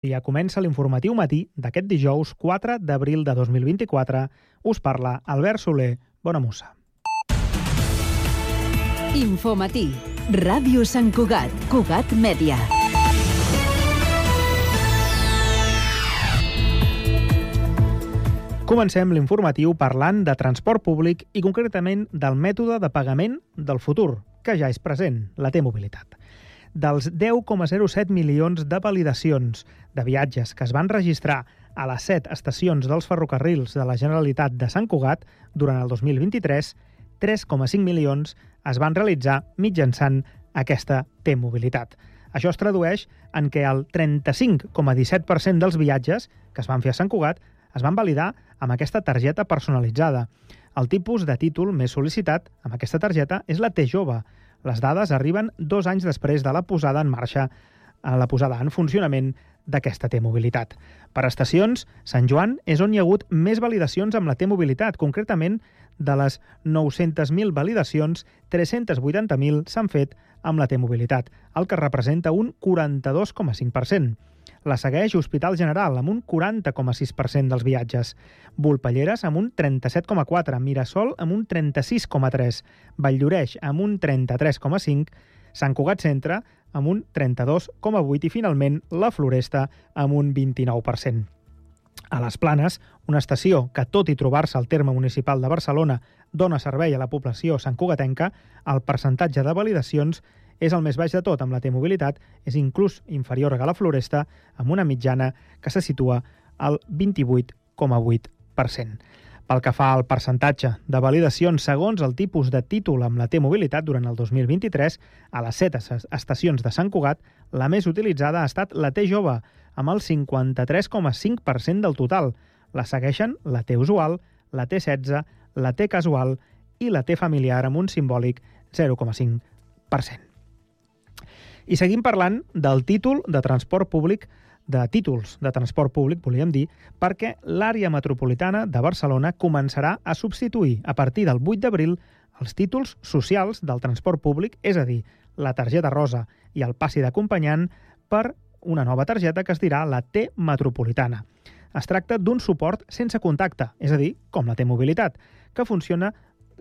Ja comença l'informatiu matí d'aquest dijous 4 d'abril de 2024. Us parla Albert Soler. Bona mossa. Infomatí. Ràdio Sant Cugat. Cugat Mèdia. Comencem l'informatiu parlant de transport públic i concretament del mètode de pagament del futur, que ja és present, la T-mobilitat. Dels 10,07 milions de validacions de viatges que es van registrar a les 7 estacions dels ferrocarrils de la Generalitat de Sant Cugat durant el 2023, 3,5 milions es van realitzar mitjançant aquesta T-mobilitat. Això es tradueix en què el 35,17% dels viatges que es van fer a Sant Cugat es van validar amb aquesta targeta personalitzada. El tipus de títol més sol·licitat amb aquesta targeta és la T-Jove. Les dades arriben 2 anys després de la posada en marxa, la posada en funcionament d'aquesta T-mobilitat. Per estacions, Sant Joan és on hi ha hagut més validacions amb la T-mobilitat. Concretament, de les 900.000 validacions, 380.000 s'han fet amb la T-mobilitat, el que representa un 42,5%. La segueix Hospital General, amb un 40,6% dels viatges. Volpelleres, amb un 37,4%. Mirasol, amb un 36,3%. Valldoreix, amb un 33,5%. Sant Cugat Centre, amb un 32,8%. I, finalment, la Floresta, amb un 29%. A les Planes, una estació que, tot i trobar-se al terme municipal de Barcelona, dona servei a la població santcugatenca, el percentatge de validacions és el més baix de tot amb la T-mobilitat, és inclús inferior a la Floresta, amb una mitjana que se situa al 28,8%. Pel que fa al percentatge de validacions segons el tipus de títol amb la T-mobilitat durant el 2023, a les 7 estacions de Sant Cugat, la més utilitzada ha estat la T-Jove, amb el 53,5% del total. La segueixen la T-usual, la T16, la T-casual i la T-familiar amb un simbòlic 0,5%. I seguim parlant del títol de transport públic, de títols de transport públic, volíem dir, perquè l'àrea metropolitana de Barcelona començarà a substituir a partir del 8 d'abril els títols socials del transport públic, és a dir, la targeta rosa i el passi d'acompanyant, per una nova targeta que es dirà la T-metropolitana. Es tracta d'un suport sense contacte, és a dir, com la T-mobilitat, que funciona,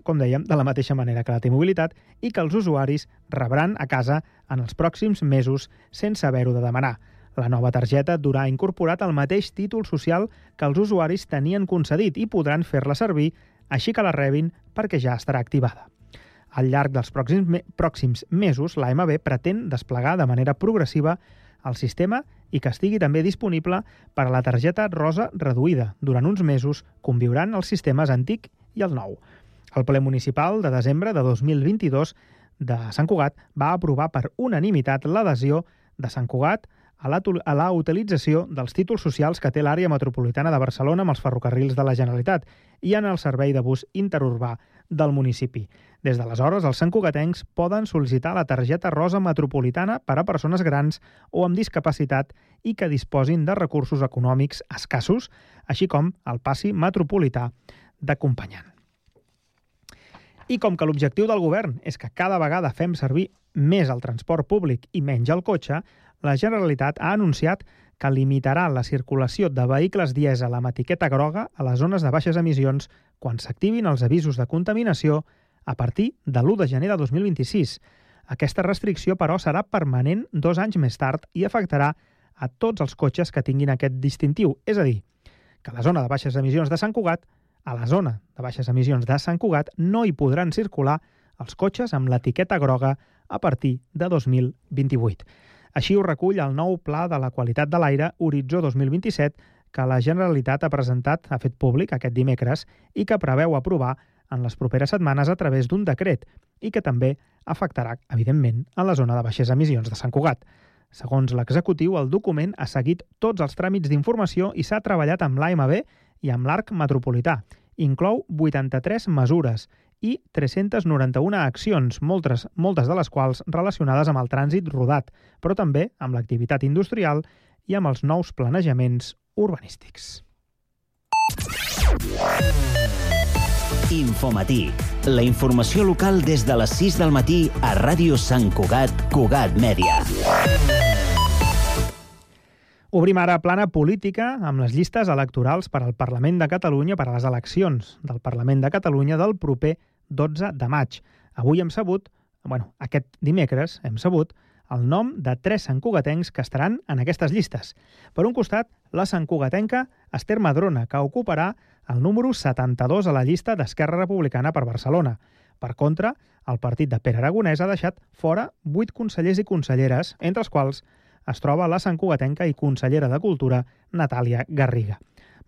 com dèiem, de la mateixa manera que la T-mobilitat i que els usuaris rebran a casa en els pròxims mesos sense haver-ho de demanar. La nova targeta durà incorporat el mateix títol social que els usuaris tenien concedit i podran fer-la servir així que la rebin perquè ja estarà activada. Al llarg dels pròxims mesos, l'AMB pretén desplegar de manera progressiva el sistema i que estigui també disponible per a la targeta rosa reduïda. Durant uns mesos conviuran els sistemes antic i el nou. El ple municipal de desembre de 2022 de Sant Cugat va aprovar per unanimitat l'adhesió de Sant Cugat a la utilització dels títols socials que té l'àrea metropolitana de Barcelona amb els ferrocarrils de la Generalitat i en el servei de bus interurbà del municipi. Des d'aleshores, els santcugatencs poden sol·licitar la targeta rosa metropolitana per a persones grans o amb discapacitat i que disposin de recursos econòmics escassos, així com el passi metropolità d'acompanyant. I com que l'objectiu del govern és que cada vegada fem servir més el transport públic i menys el cotxe, la Generalitat ha anunciat que limitarà la circulació de vehicles dièsel amb etiqueta groga a les zones de baixes emissions quan s'activin els avisos de contaminació a partir de l'1 de gener de 2026. Aquesta restricció, però, serà permanent 2 anys més tard i afectarà a tots els cotxes que tinguin aquest distintiu. És a dir, que a la zona de baixes emissions de Sant Cugat, no hi podran circular els cotxes amb l'etiqueta groga a partir de 2028. Així ho recull el nou Pla de la Qualitat de l'Aire Horitzó 2027 que la Generalitat ha fet públic aquest dimecres i que preveu aprovar en les properes setmanes a través d'un decret i que també afectarà, evidentment, a la zona de baixes emissions de Sant Cugat. Segons l'executiu, el document ha seguit tots els tràmits d'informació i s'ha treballat amb l'AMB i amb l'ARC metropolità. Inclou 83 mesures i 391 accions, moltes de les quals relacionades amb el trànsit rodat, però també amb l'activitat industrial i amb els nous planejaments urbanístics. Infomatí, la informació local des de les 6 del matí a Ràdio Sant Cugat, Cugat Mèdia. Obrim ara plana política amb les llistes electorals per al Parlament de Catalunya, per a les eleccions del Parlament de Catalunya del proper 12 de maig. Avui aquest dimecres hem sabut el nom de 3 santcugatencs que estaran en aquestes llistes. Per un costat, la santcugatenca Esther Madrona, que ocuparà el número 72 a la llista d'Esquerra Republicana per Barcelona. Per contra, el partit de Pere Aragonès ha deixat fora 8 consellers i conselleres, entre els quals es troba la santcugatenca i consellera de Cultura Natàlia Garriga.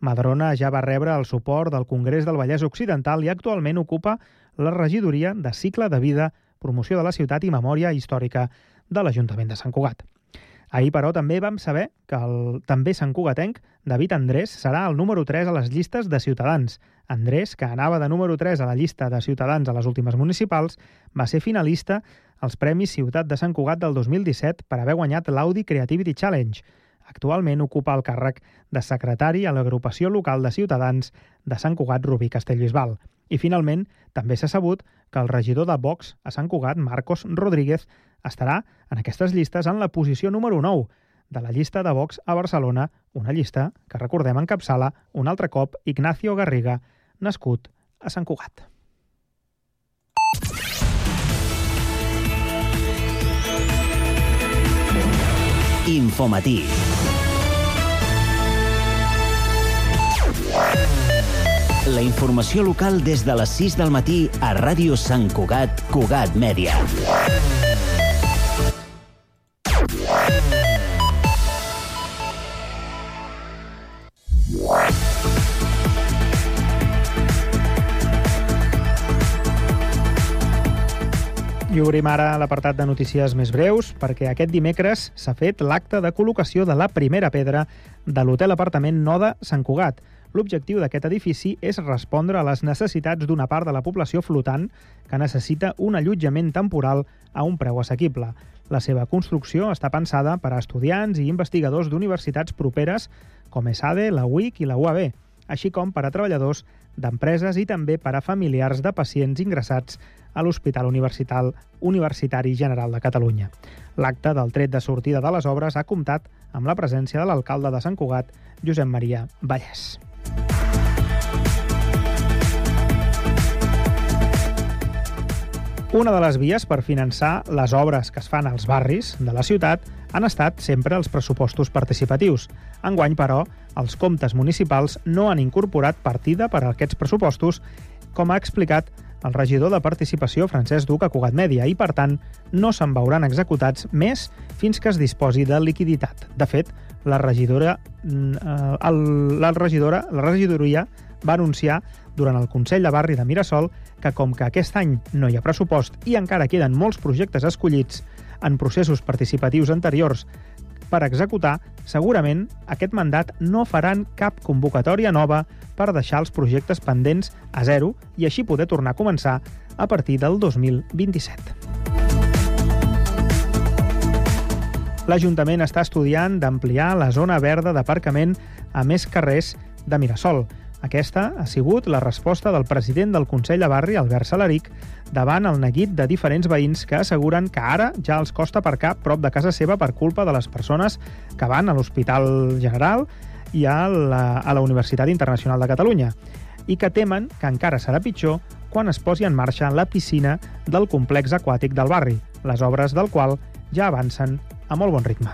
Madrona ja va rebre el suport del Congrés del Vallès Occidental i actualment ocupa la regidoria de Cicle de Vida, Promoció de la Ciutat i Memòria Històrica de l'Ajuntament de Sant Cugat. Ahir, però, també vam saber que el també santcugatenc David Andrés serà el número 3 a les llistes de Ciutadans. Andrés, que anava de número 3 a la llista de Ciutadans a les últimes municipals, va ser finalista als Premis Ciutat de Sant Cugat del 2017 per haver guanyat l'Audi Creativity Challenge. Actualment ocupa el càrrec de secretari a l'agrupació local de Ciutadans de Sant Cugat, Rubí Castellbisbal. I finalment, també s'ha sabut que el regidor de Vox a Sant Cugat, Marcos Rodríguez, estarà en aquestes llistes en la posició número 9 de la llista de Vox a Barcelona, una llista que, recordem, encapçala un altre cop Ignacio Garriga, nascut a Sant Cugat. Infomatí. La informació local des de les 6 del matí a Ràdio Sant Cugat, Cugat Mèdia. I obrim ara l'apartat de notícies més breus, perquè aquest dimecres s'ha fet l'acte de col·locació de la primera pedra de l'hotel apartament Noda Sant Cugat. L'objectiu d'aquest edifici és respondre a les necessitats d'una part de la població flotant que necessita un allotjament temporal a un preu assequible. La seva construcció està pensada per a estudiants i investigadors d'universitats properes com ESADE, la UIC i la UAB, així com per a treballadors d'empreses i també per a familiars de pacients ingressats a l'Hospital Universitari General de Catalunya. L'acte del tret de sortida de les obres ha comptat amb la presència de l'alcalde de Sant Cugat, Josep Maria Vallès. Una de les vies per finançar les obres que es fan als barris de la ciutat han estat sempre els pressupostos participatius. Enguany, però, els comptes municipals no han incorporat partida per a aquests pressupostos, com ha explicat el regidor de Participació, Francesc Duc, a Cugat Mèdia, i, per tant, no se'n veuran executats més fins que es disposi de liquiditat. De fet, la regidoria va anunciar durant el Consell de Barri de Mirasol que, com que aquest any no hi ha pressupost i encara queden molts projectes escollits en processos participatius anteriors per executar, segurament aquest mandat no faran cap convocatòria nova per deixar els projectes pendents a zero i així poder tornar a començar a partir del 2027. L'Ajuntament està estudiant d'ampliar la zona verda d'aparcament a més carrers de Mirasol. Aquesta ha sigut la resposta del president del Consell de Barri, Albert Salaric, davant el neguit de diferents veïns que asseguren que ara ja els costa aparcar prop de casa seva per culpa de les persones que van a l'Hospital General i a la Universitat Internacional de Catalunya i que temen que encara serà pitjor quan es posi en marxa la piscina del complex aquàtic del barri, les obres del qual ja avancen a molt bon ritme.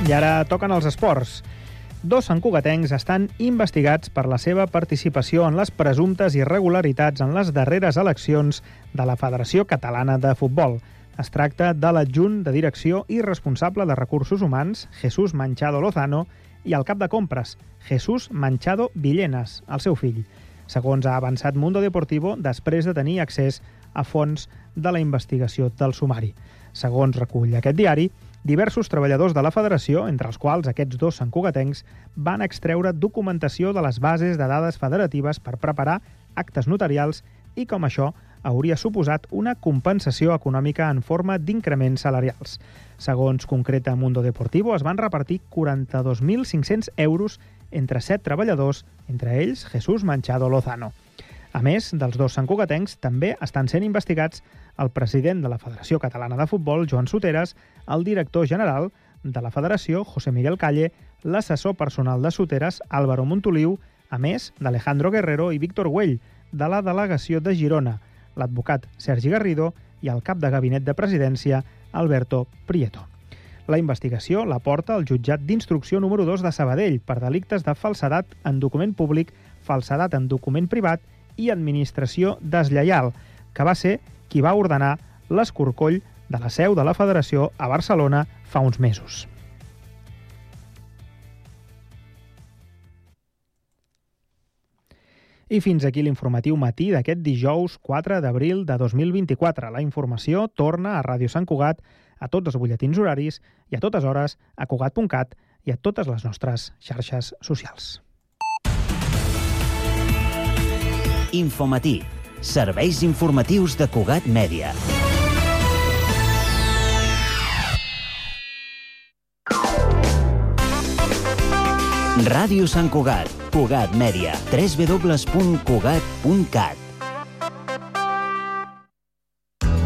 I ara toquen els esports. 2 santcugatencs estan investigats per la seva participació en les presumptes irregularitats en les darreres eleccions de la Federació Catalana de Futbol. Es tracta de l'adjunt de direcció i responsable de recursos humans, Jesús Manchado Lozano, i el cap de compres, Jesús Manchado Villenas, el seu fill. Segons ha avançat Mundo Deportivo, després de tenir accés a fons de la investigació del sumari. Segons recull aquest diari, diversos treballadors de la federació, entre els quals aquests 2 santcugatencs, van extreure documentació de les bases de dades federatives per preparar actes notarials i, com això, hauria suposat una compensació econòmica en forma d'increments salarials. Segons concreta Mundo Deportivo, es van repartir 42.500 euros entre 7 treballadors, entre ells Jesús Manchado Lozano. A més dels dos santcugatencs, també estan sent investigats el president de la Federació Catalana de Futbol, Joan Soteras, el director general de la Federació, José Miguel Calle, l'assessor personal de Soteras, Álvaro Montoliu, a més d'Alejandro Guerrero i Víctor Güell, de la delegació de Girona, l'advocat Sergi Garrido i el cap de gabinet de presidència, Alberto Prieto. La investigació la porta el jutjat d'instrucció número 2 de Sabadell per delictes de falsedat en document públic, falsedat en document privat i administració deslleial, que va ser qui va ordenar l'escorcoll de la seu de la Federació a Barcelona fa uns mesos. I fins aquí l'informatiu matí d'aquest dijous 4 d'abril de 2024. La informació torna a Ràdio Sant Cugat, a tots els butlletins horaris i a totes hores a cugat.cat i a totes les nostres xarxes socials. Infomatí. Serveis informatius de Cugat Mèdia. Ràdio Sant Cugat, Cugat Mèdia, www.cugat.cat.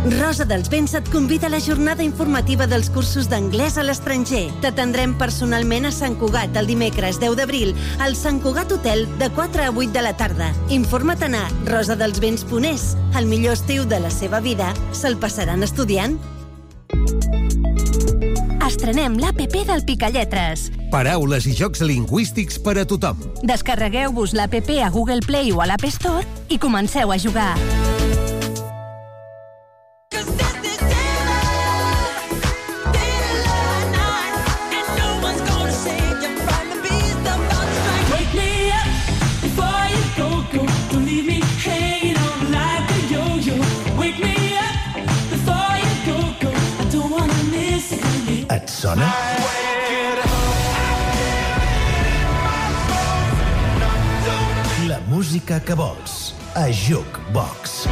Rosa dels Vents et convida a la jornada informativa dels cursos d'anglès a l'estranger. T'atendrem personalment a Sant Cugat el dimecres 10 d'abril al Sant Cugat Hotel de 4 a 8 de la tarda. Informa't a rosadelsvents.es. El millor estiu de la seva vida se'l passaran estudiant. Estrenem l'APP del Picalletres. Paraules i jocs lingüístics per a tothom. Descarregueu-vos l'APP a Google Play o a l'App Store i comenceu a jugar. Et sona? La música que vols a Jukebox.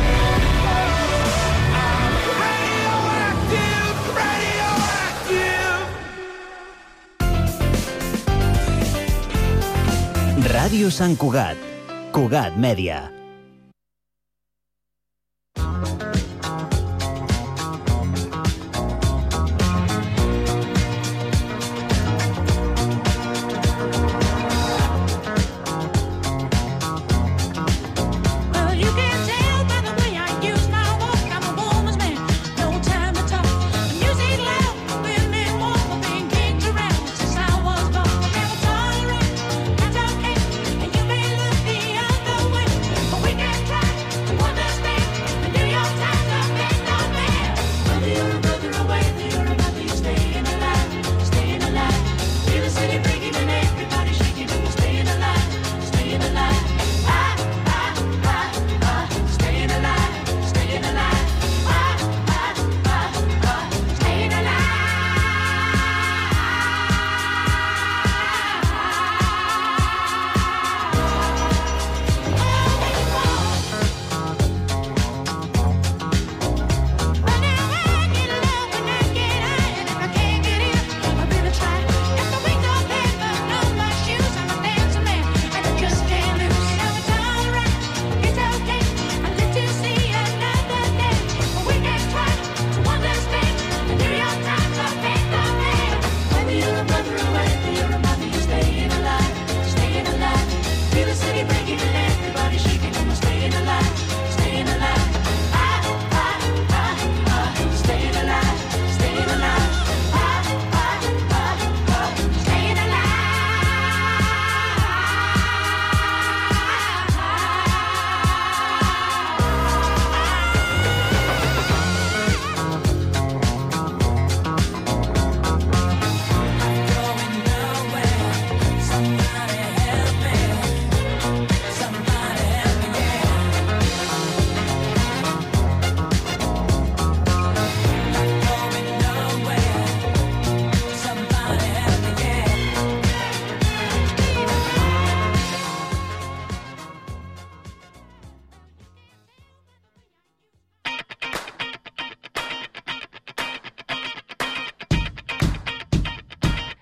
Ràdio Sant Cugat, Cugat Mèdia.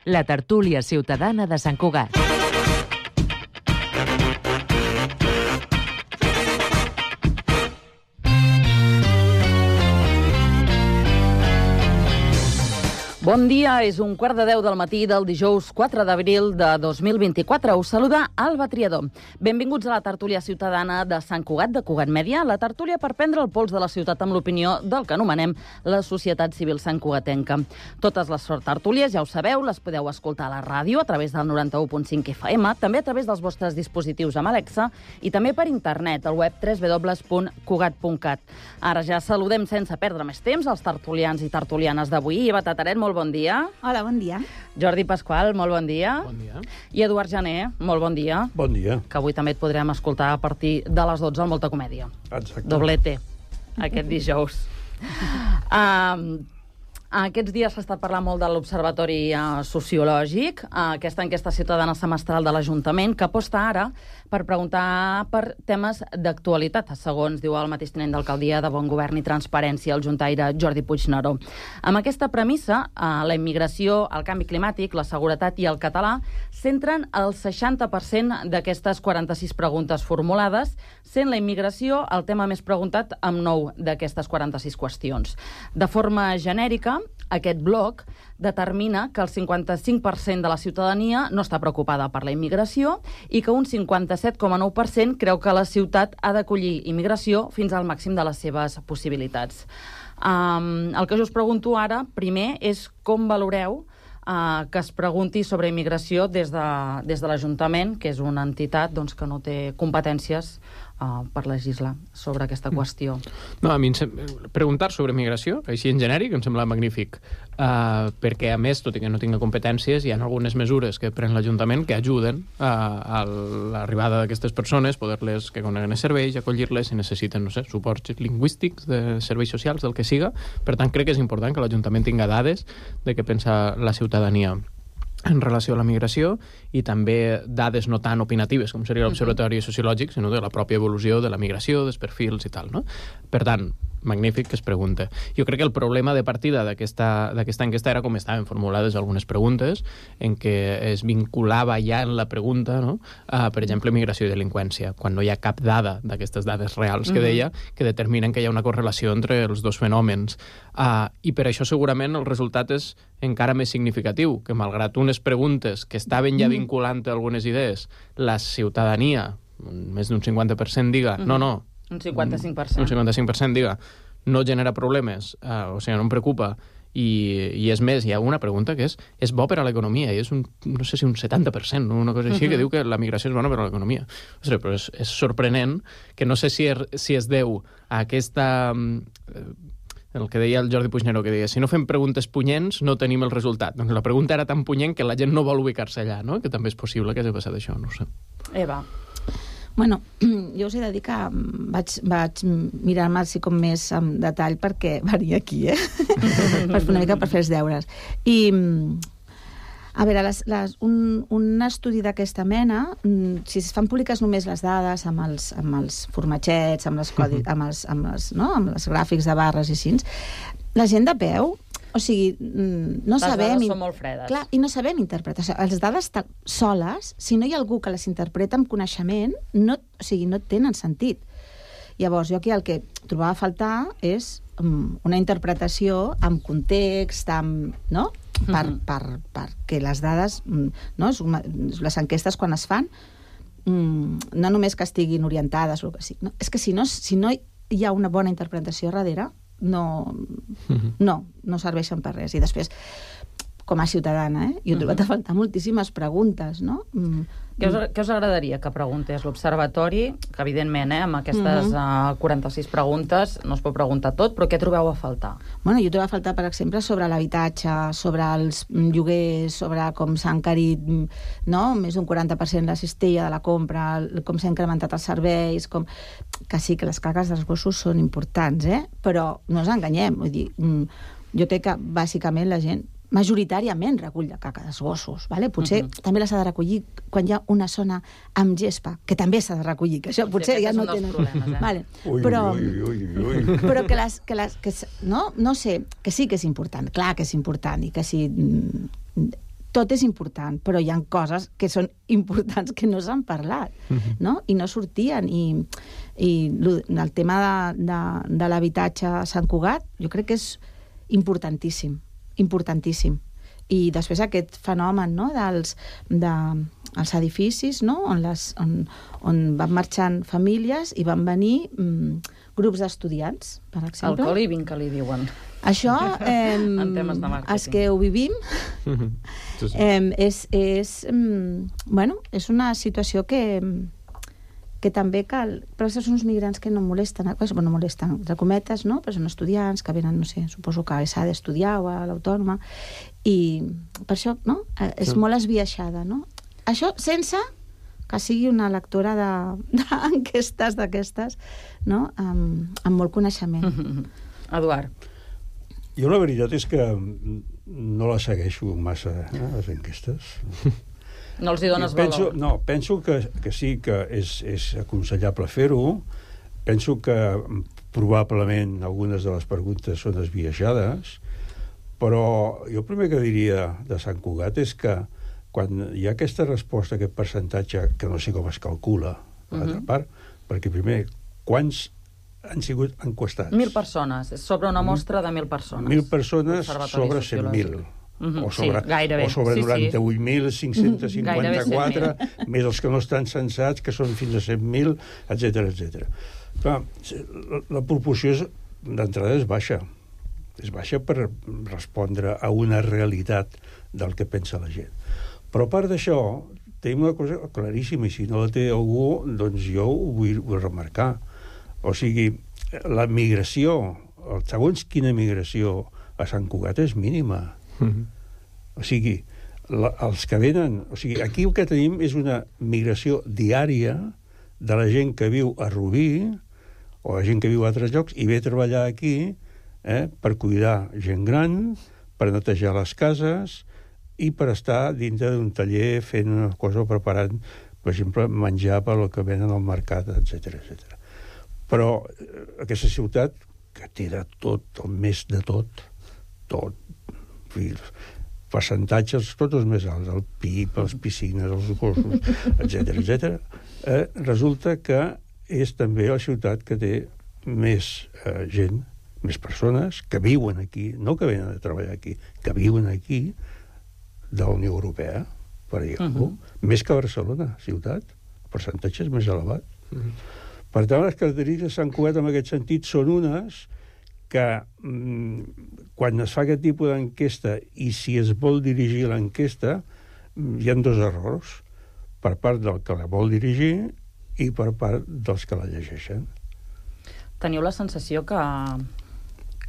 la tertúlia ciutadana de Sant Cugat. Bon dia, és 9:15 del matí del dijous 4 d'abril de 2024. Us saluda Alba Triador. Benvinguts a la tertúlia ciutadana de Sant Cugat, de Cugat Mèdia, la tertúlia per prendre el pols de la ciutat amb l'opinió del que anomenem la societat civil santcugatenca. Totes les tertúlies, ja ho sabeu, les podeu escoltar a la ràdio a través del 91.5 FM, també a través dels vostres dispositius amb Alexa i també per internet, al web www.cugat.cat. Ara ja saludem sense perdre més temps els tertulians i tertulianes d'avui. Eva Tataret, molt bon dia. Hola, bon dia. Jordi Pasqual, molt bon dia. Bon dia. I Eduard Jané, molt bon dia. Bon dia. Que avui també et podrem escoltar a partir de les 12 al Molta Comèdia. Exacte. Doblete, aquest dijous. Aquests dies s'ha estat parlant molt de l'Observatori Sociològic, aquesta enquesta ciutadana semestral de l'Ajuntament, que aposta ara per preguntar per temes d'actualitat, segons diu el mateix tinent d'alcaldia de Bon Govern i Transparència, el juntaire Jordi Puigneró. Amb aquesta premissa, la immigració, el canvi climàtic, la seguretat i el català centren el 60% d'aquestes 46 preguntes formulades, sent la immigració el tema més preguntat amb 9 d'aquestes 46 qüestions. De forma genèrica, aquest bloc determina que el 55% de la ciutadania no està preocupada per la immigració i que un 57,9% creu que la ciutat ha d'acollir immigració fins al màxim de les seves possibilitats. El que jo us pregunto ara, primer, és com valoreu que es pregunti sobre immigració des de l'Ajuntament, que és una entitat que no té competències per legislar sobre aquesta qüestió. No, a mi preguntar sobre migració, així en genèric, em sembla magnífic, perquè a més, tot i que no tinga competències, hi ha algunes mesures que pren l'Ajuntament que ajuden a l'arribada d'aquestes persones, poder-les que coneguen els serveis, acollir-les si necessiten, no sé, suports lingüístics, de serveis socials, del que siga. Per tant, crec que és important que l'Ajuntament tinga dades de què pensa la ciutadania en relació a la migració i també dades no tan opinatives com seria l'Observatori Sociològic, sinó de la pròpia evolució de la migració, dels perfils i tal, no? Per tant, magnífic que es pregunta. Jo crec que el problema de partida d'aquesta enquesta era com estaven formulades algunes preguntes, en què es vinculava ja en la pregunta, no? Per exemple, migració i delinqüència, quan no hi ha cap dada d'aquestes dades reals que deia, que determinen que hi ha una correlació entre els dos fenòmens. I per això segurament el resultat és encara més significatiu, que malgrat unes preguntes que estaven ja vinculant algunes idees, la ciutadania, més d'un 50% diga, no, un 55%. Un 55% diga, no genera problemes, o sigui, no em preocupa, i és més, hi ha una pregunta que és bo per a l'economia, i és no sé si un 70%, una cosa així, que diu que la migració és bona per a l'economia. Ostres, però és sorprenent que no sé si es deu a aquesta... el que deia el Jordi Puigneró, que deia, si no fem preguntes punyents, no tenim el resultat. Doncs la pregunta era tan punyent que la gent no vol ubicar-se allà, no? Que també és possible que hagi passat això, no ho sé. Eva. Bueno, jo us he de dir que vaig mirar-me així com més en detall perquè venia aquí, una mica per fer els deures. I, a veure, un estudi d'aquesta mena, si es fan públiques només les dades amb els formatgets, amb els gràfics de barres i així, la gent de peu, o sigui, no sabem... Les dades són molt fredes. Clar, i no sabem interpretar. O sigui, les dades soles, si no hi ha algú que les interpreta amb coneixement, no tenen sentit. Llavors, jo aquí el que trobava a faltar és una interpretació amb context, no? Perquè les dades, no? Les enquestes quan es fan, no només que estiguin orientades o el que sigui, no? És que si no hi ha una bona interpretació darrere, no serveixen per res. I després, com a ciutadana, jo he trobat a faltar moltíssimes preguntes, no? Què us agradaria que preguntés l'Observatori? Que, evidentment, amb aquestes 46 preguntes no es pot preguntar tot, però què trobeu a faltar? Bueno, jo trobo a faltar, per exemple, sobre l'habitatge, sobre els lloguers, sobre com s'ha encarit, no?, més d'un 40% la cistella de la compra, com s'ha incrementat els serveis, que sí que les cagues dels gossos són importants, però no ens enganyem. Vull dir, jo crec que, bàsicament, la gent majoritàriament recull la caca dels gossos, vale? Potser també les ha de recollir quan hi ha una zona amb gespa, que també s'ha de recollir, que això potser ja no tenen... Problemes, vale. Però que no sé, que sí que és important, clar que és important, i que si tot és important, però hi ha coses que són importants que no s'han parlat, no? I no sortien. I el tema de l'habitatge a Sant Cugat jo crec que és importantíssim, importantíssim. I després aquest fenomen, no?, dels edificis, no?, on van marxant famílies i van venir grups d'estudiants, per exemple. El co-living, que li diuen. Això, en temes de màrqueting. els que ho vivim, és una situació que també cal... Però són uns migrants que no molesten, no molesten, entre cometes, no? Però són estudiants que venen, no sé, suposo que s'ha d'estudiar o a l'Autònoma, i per això, no?, és molt esbiaixada, no? Això sense que sigui una lectora d'enquestes d'aquestes, no?, amb molt coneixement. Eduard. Jo la veritat és que no la segueixo massa, les enquestes. No els hi dones valor? No, penso que sí que és aconsellable fer-ho. Penso que probablement algunes de les preguntes són esbiaixades, però jo el primer que diria de Sant Cugat és que quan hi ha aquesta resposta, aquest percentatge, que no sé com es calcula, per l'altra part, perquè primer, quants han sigut enquestats? 1.000 persones, sobre una mostra de 1.000 persones. 1.000 persones sobre 100.000. O sobre 98.554, més els que no estan censats, que són fins a 100.000, etc. Clar, la proporció d'entrada és baixa. És baixa per respondre a una realitat del que pensa la gent. Però a part d'això, tenim una cosa claríssima, i si no la té algú, doncs jo ho vull remarcar. O sigui, la migració, segons quina migració a Sant Cugat és mínima. O sigui, els que venen... O sigui, aquí el que tenim és una migració diària de la gent que viu a Rubí o la gent que viu a altres llocs i ve a treballar aquí per cuidar gent gran, per netejar les cases i per estar dintre d'un taller fent una cosa o preparant, per exemple, menjar per al que venen al mercat, etc. Però aquesta ciutat, que té de tot, el més de tot, percentatges tots els més alts, el PIB, les piscines, els gossos, etc. Resulta que és també la ciutat que té més gent, més persones que viuen aquí, no que venen a treballar aquí, que viuen aquí, de la Unió Europea, per dir-ho, més que Barcelona, ciutat. El percentatge és més elevat. Per tant, les característiques de Sant Cugat en aquest sentit són unes que quan es fa aquest tipus d'enquesta i si es vol dirigir l'enquesta hi ha dos errors per part del que la vol dirigir i per part dels que la llegeixen. Teniu la sensació que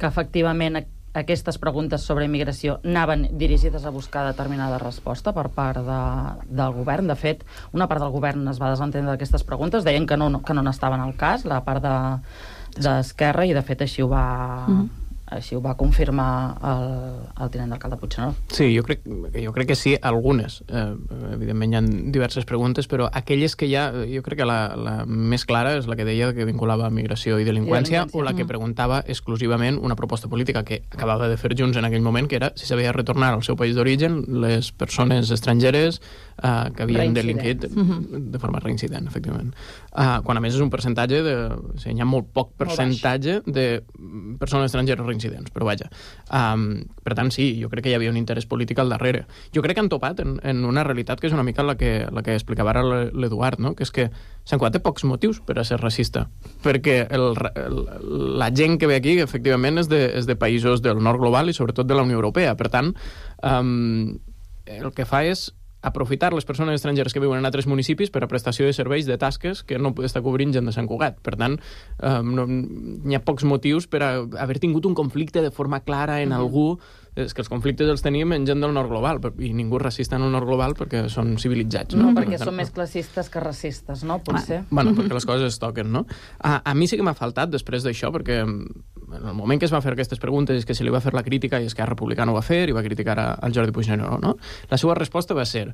efectivament aquestes preguntes sobre immigració anaven dirigides a buscar determinada resposta per part del govern? De fet, una part del govern es va desentendre d'aquestes preguntes, deien que no n'estaven al cas, la part d'Esquerra, i de fet així ho va confirmar el tinent d'alcalde Puigneró. Sí, jo crec que sí, algunes. Evidentment hi ha diverses preguntes, però aquelles que hi ha, jo crec que la més clara és la que deia que vinculava migració i delinqüència, o la que preguntava exclusivament una proposta política que acabava de fer Junts en aquell moment, que era si s'havia de retornar al seu país d'origen les persones estrangeres que havien delinquit de forma reincident, efectivament. Quan a més és un percentatge hi ha molt poc percentatge de persones estrangeres reincidents, però vaja. Per tant, sí, jo crec que hi havia un interès polític al darrere. Jo crec que han topat en una realitat que és una mica la que explicava ara l'Eduard, no? Que és que Sant Cugat té pocs motius per a ser racista, perquè la gent que ve aquí, efectivament, és de països del nord global i sobretot de la Unió Europea. Per tant, el que fa és aprofitar les persones estrangeres que viuen en altres municipis per a prestació de serveis de tasques que no està cobrint gent de Sant Cugat. Per tant, hi ha pocs motius per haver tingut un conflicte de forma clara en algú. És que els conflictes els tenim en gent del nord global, i ningú és racista en el nord global perquè són civilitzats. No, perquè són més classistes que racistes, no? Potser. Bueno, perquè les coses es toquen, no? A mi sí que m'ha faltat després d'això, perquè en el moment que es va fer aquestes preguntes és que se li va fer la crítica i Esquerra Republicana ho va fer i va criticar al Jordi Puigneró, no? La seva resposta va ser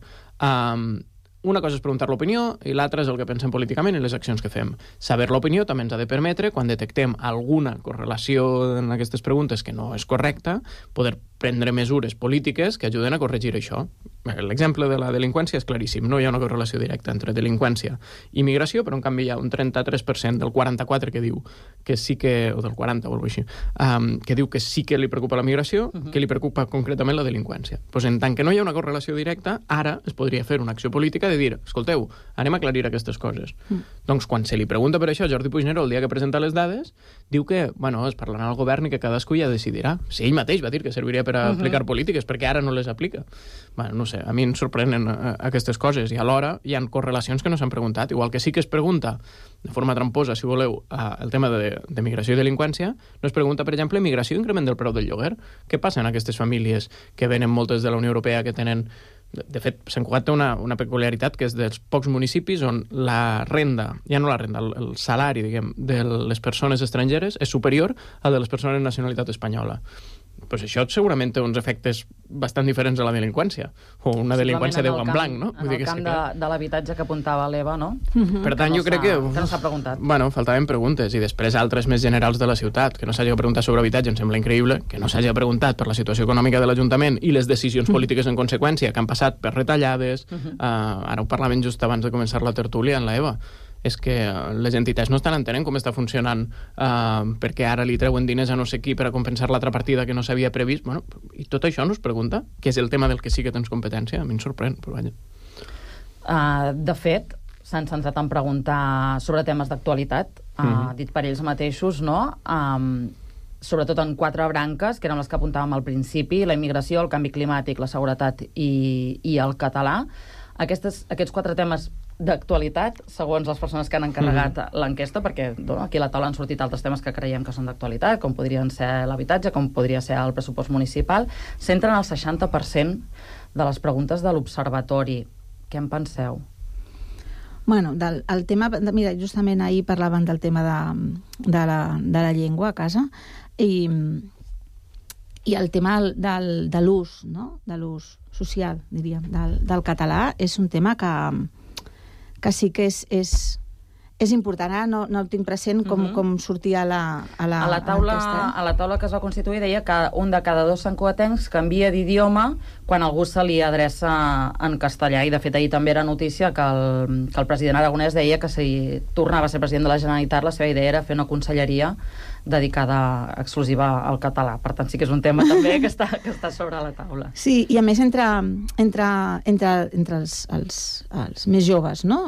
una cosa és preguntar l'opinió i l'altra és el que pensem políticament i les accions que fem. Saber l'opinió també ens ha de permetre, quan detectem alguna correlació en aquestes preguntes que no és correcta, poder prendre mesures polítiques que ajuden a corregir això. l'exemple de la delinqüència és claríssim. No hi ha una correlació directa entre delinqüència i migració, però en canvi hi ha un 33% del 44% que diu que sí que, o del 40 o alguna cosa així, que diu que sí que li preocupa la migració, que li preocupa concretament la delinqüència. Pues en tant que no hi ha una correlació directa, ara es podria fer una acció política de dir, escolteu, anem a aclarir aquestes coses. Doncs quan se li pregunta per això a Jordi Puigneró el dia que presenta les dades, diu que, bueno, es parlarà al govern i que cadascú ja decidirà. Si ell mateix va dir que serviria per aplicar polítiques, perquè ara no les aplica. Bueno, no sé, a mi em sorprenen aquestes coses i alhora hi ha correlacions que no s'han preguntat. Igual que sí que es pregunta, de forma tramposa, si voleu, el tema de migració i delinqüència, no es pregunta, per exemple, migració i increment del preu del lloguer. Què passa en aquestes famílies que venen moltes de la Unió Europea que tenen... De fet, Sant Cugat té una peculiaritat que és dels pocs municipis on la renda, ja no la renda, el salari, diguem, de les persones estrangeres és superior al de les persones de nacionalitat espanyola. Pues això segurament té uns efectes bastant diferents a la delinqüència, o una delinqüència de guant blanc, no? En el camp de l'habitatge que apuntava l'Eva, no? Per tant, jo crec que... Que no s'ha preguntat. Bueno, faltaven preguntes, i després altres més generals de la ciutat, que no s'hagi preguntat sobre habitatge, em sembla increïble, que no s'hagi preguntat per la situació econòmica de l'Ajuntament i les decisions polítiques en conseqüència, que han passat per retallades, ara ho parlaven just abans de començar la tertúlia en l'Eva, és que les entitats no estan entenent com està funcionant perquè ara li treuen diners a no sé qui per a compensar l'altra partida que no s'havia previst. Bueno, i tot això no es pregunta, que és el tema del que sí que tens competència. A mi em sorprèn, però vaja. De fet, s'han centrat en preguntar sobre temes d'actualitat, dit per ells mateixos, no? Sobretot en 4 branques, que eren les que apuntàvem al principi: la immigració, el canvi climàtic, la seguretat i el català. Aquests 4 temes d'actualitat, segons les persones que han encarregat l'enquesta, perquè aquí a la taula han sortit altres temes que creiem que són d'actualitat, com podrien ser l'habitatge, com podria ser el pressupost municipal, centren el 60% de les preguntes de l'observatori. Què en penseu? Bueno, el tema... Mira, justament ahir parlaven del tema de la llengua a casa i el tema de l'ús, no? De l'ús social, diríem, del català, és un tema que sí que és important. Ara no el tinc present com sortia a la taula que es va constituir deia que un de cada 2 santcugatencs canvia d'idioma quan algú se li adreça en castellà, i de fet ahir també era notícia que el president aragonès deia que si tornava a ser president de la Generalitat la seva idea era fer una conselleria dedicada exclusiva al català. Per tant, sí que és un tema també que està sobre la taula. Sí, i a més entre els més joves, no?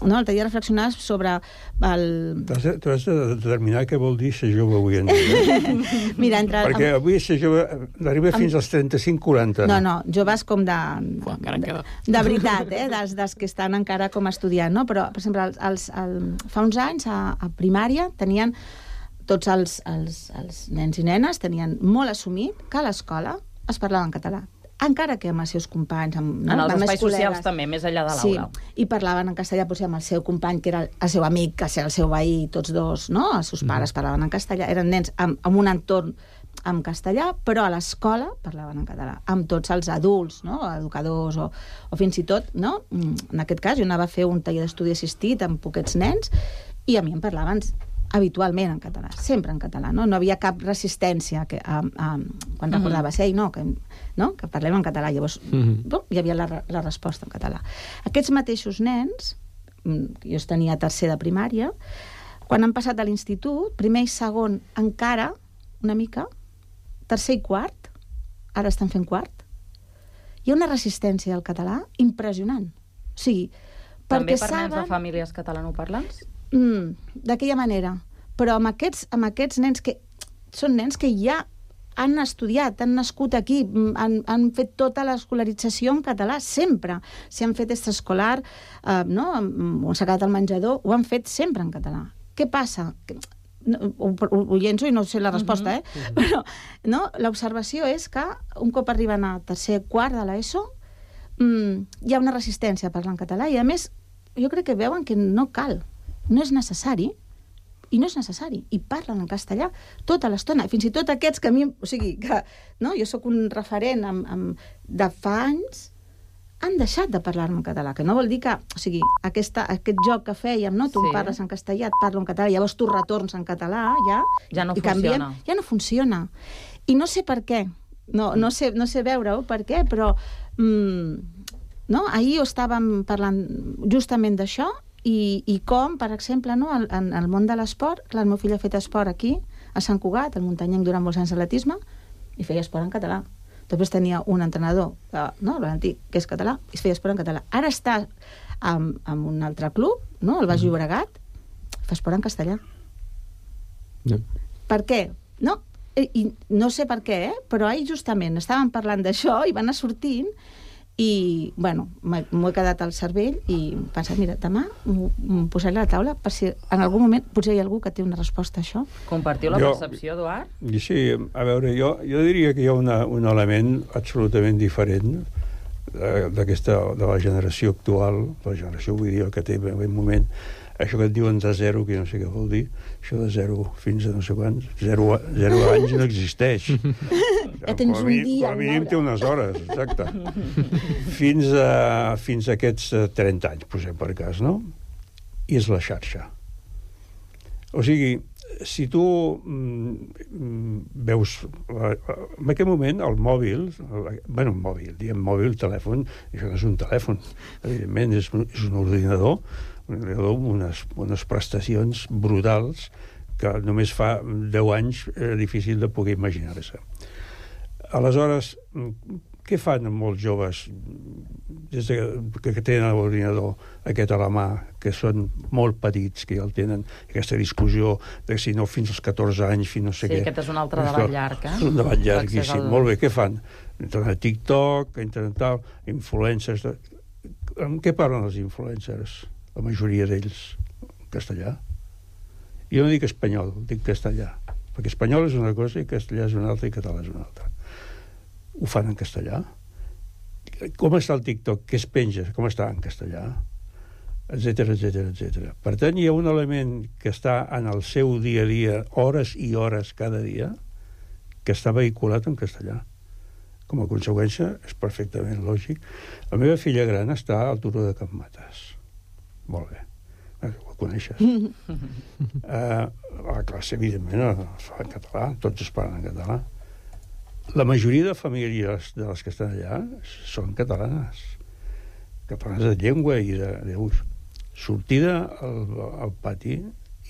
L'altre dia reflexionar sobre Tu has de determinar què vol dir ser jove avui en dia. Mira, perquè avui ser jove arriba fins als 35-40. No, joves com de veritat, dels que estan encara com estudiant, no? Però, per exemple, fa uns anys a primària tenien tots els nens i nenes tenien molt assumit que a l'escola es parlava en català, encara que amb els seus companys, en els espais socials també, més enllà de l'aula. Sí, i parlaven en castellà potser amb el seu company, que era el seu amic, que era el seu veí, tots dos, no? Els seus pares parlaven en castellà, eren nens amb un entorn en castellà, però a l'escola parlaven en català, amb tots els adults, no? Educadors o fins i tot, no? En aquest cas, jo anava a fer un taller d'estudi assistit amb poquets nens i a mi em parlaven habitualment en català, sempre en català, no? No havia cap resistència quan recordaves, que parlem en català. Llavors, hi havia la resposta en català. Aquests mateixos nens, jo els tenia a tercer de primària, quan han passat a l'institut, primer i segon encara, una mica, tercer i quart, ara estan fent quart, hi ha una resistència al català impressionant. O sigui, també per nens de famílies catalanoparlants? D'aquella manera, però amb aquests nens que són nens que ja han estudiat, han nascut aquí, han fet tota l'escolarització en català, sempre. Si han fet extraescolar, no? O s'ha quedat al menjador, ho han fet sempre en català. Què passa? Ho llenço i no sé la resposta, però l'observació és que un cop arriben a tercer quart de l'ESO hi ha una resistència a parlar en català i a més jo crec que veuen que no cal, no és necessari, i parlen en castellà tota l'estona, fins i tot aquests que a mi, o sigui, que jo sóc un referent de fa anys, han deixat de parlar en català, que no vol dir que, o sigui, aquest joc que fèiem, no? Tu parles en castellà, et parlo en català, llavors tu retorns en català, ja no funciona. Ja no funciona. I no sé per què, no sé veure-ho per què, però no? Ahir estàvem parlant justament d'això i com, per exemple, no? En el món de l'esport, clar, el meu fill ha fet esport aquí, a Sant Cugat, al muntanyenc durant molts anys d'atletisme, i feia esport en català. Després tenia un entrenador, no? El Valentí, que és català, i feia esport en català. Ara està en un altre club, no? El Baix Llobregat, fa esport en castellà. No. Per què? No? I no sé per què, però ahir justament estàvem parlant d'això i va anar sortint i, bueno, m'ho he quedat al cervell i he pensat, mira, demà m'ho posaré a la taula per si en algun moment potser hi ha algú que té una resposta a això. Compartiu la percepció, Eduard? Sí, a veure, jo diria que hi ha un element absolutament diferent de la generació actual, la generació, vull dir, que té en aquest moment, això que et diuen de zero, que no sé què vol dir, això de zero fins a no sé quants, zero anys no existeix. Ja tens un dia. Com a mínim té unes hores, exacte. Fins a aquests 30 anys, posem per cas, no? I és la xarxa. O sigui, si tu veus... En aquest moment, el mòbil, telèfon, això no és un telèfon, evidentment és un ordinador, unes prestacions brutals que només fa 10 anys era difícil de poder imaginar-se. Aleshores, què fan molts joves des que tenen l'ordinador aquest a la mà, que són molt petits, que ja el tenen, aquesta discussió de si no fins als 14 anys, fins no sé què. Sí, aquest és un altre debat llarg, És un debat llarguíssim. Molt bé, què fan? Entren a TikTok, entren tal, influencers... Amb què parlen els influencers? La majoria d'ells en castellà. Jo no dic espanyol, dic castellà, perquè espanyol és una cosa i castellà és una altra i català és una altra. Ho fan en castellà. Com està el TikTok? Què es penja? Com està en castellà? Etcètera, etcètera, etcètera. Per tant, hi ha un element que està en el seu dia a dia, hores i hores cada dia, que està vehiculat en castellà. Com a conseqüència, és perfectament lògic. La meva filla gran està al Turó de Can Matas. Molt bé. Ho coneixes. La classe, evidentment, es fa en català. Tots es parlen en català. La majoria de famílies de les que estan allà són catalanes. Catalanes de llengua i d'ús. Sortida al pati,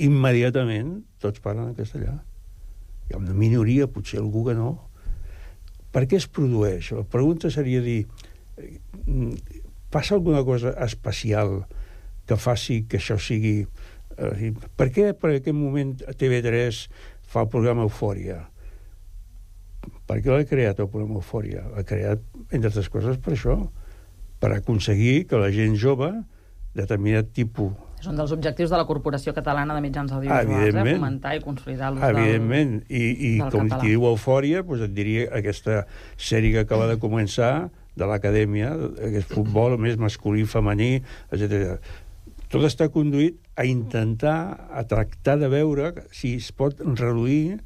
immediatament tots parlen en castellà. Hi ha una minoria, potser algú que no. Per què es produeix? La pregunta seria dir, passa alguna cosa especial que faci que això sigui... Per què per aquest moment TV3 fa el programa Eufòria? Per què l'ha creat el programa Eufòria? L'ha creat, entre altres coses, per això, per aconseguir que la gent jove, determinat tipus... És un dels objectius de la Corporació Catalana de Mitjans Audiovisuals, fomentar i consolidar l'ús evidentment. I com qui diu Eufòria, doncs et diria aquesta sèrie que acaba de començar de l'acadèmia, aquest futbol més masculí, femení, etc. Tot està conduït a intentar, a tractar de veure si es pot reduir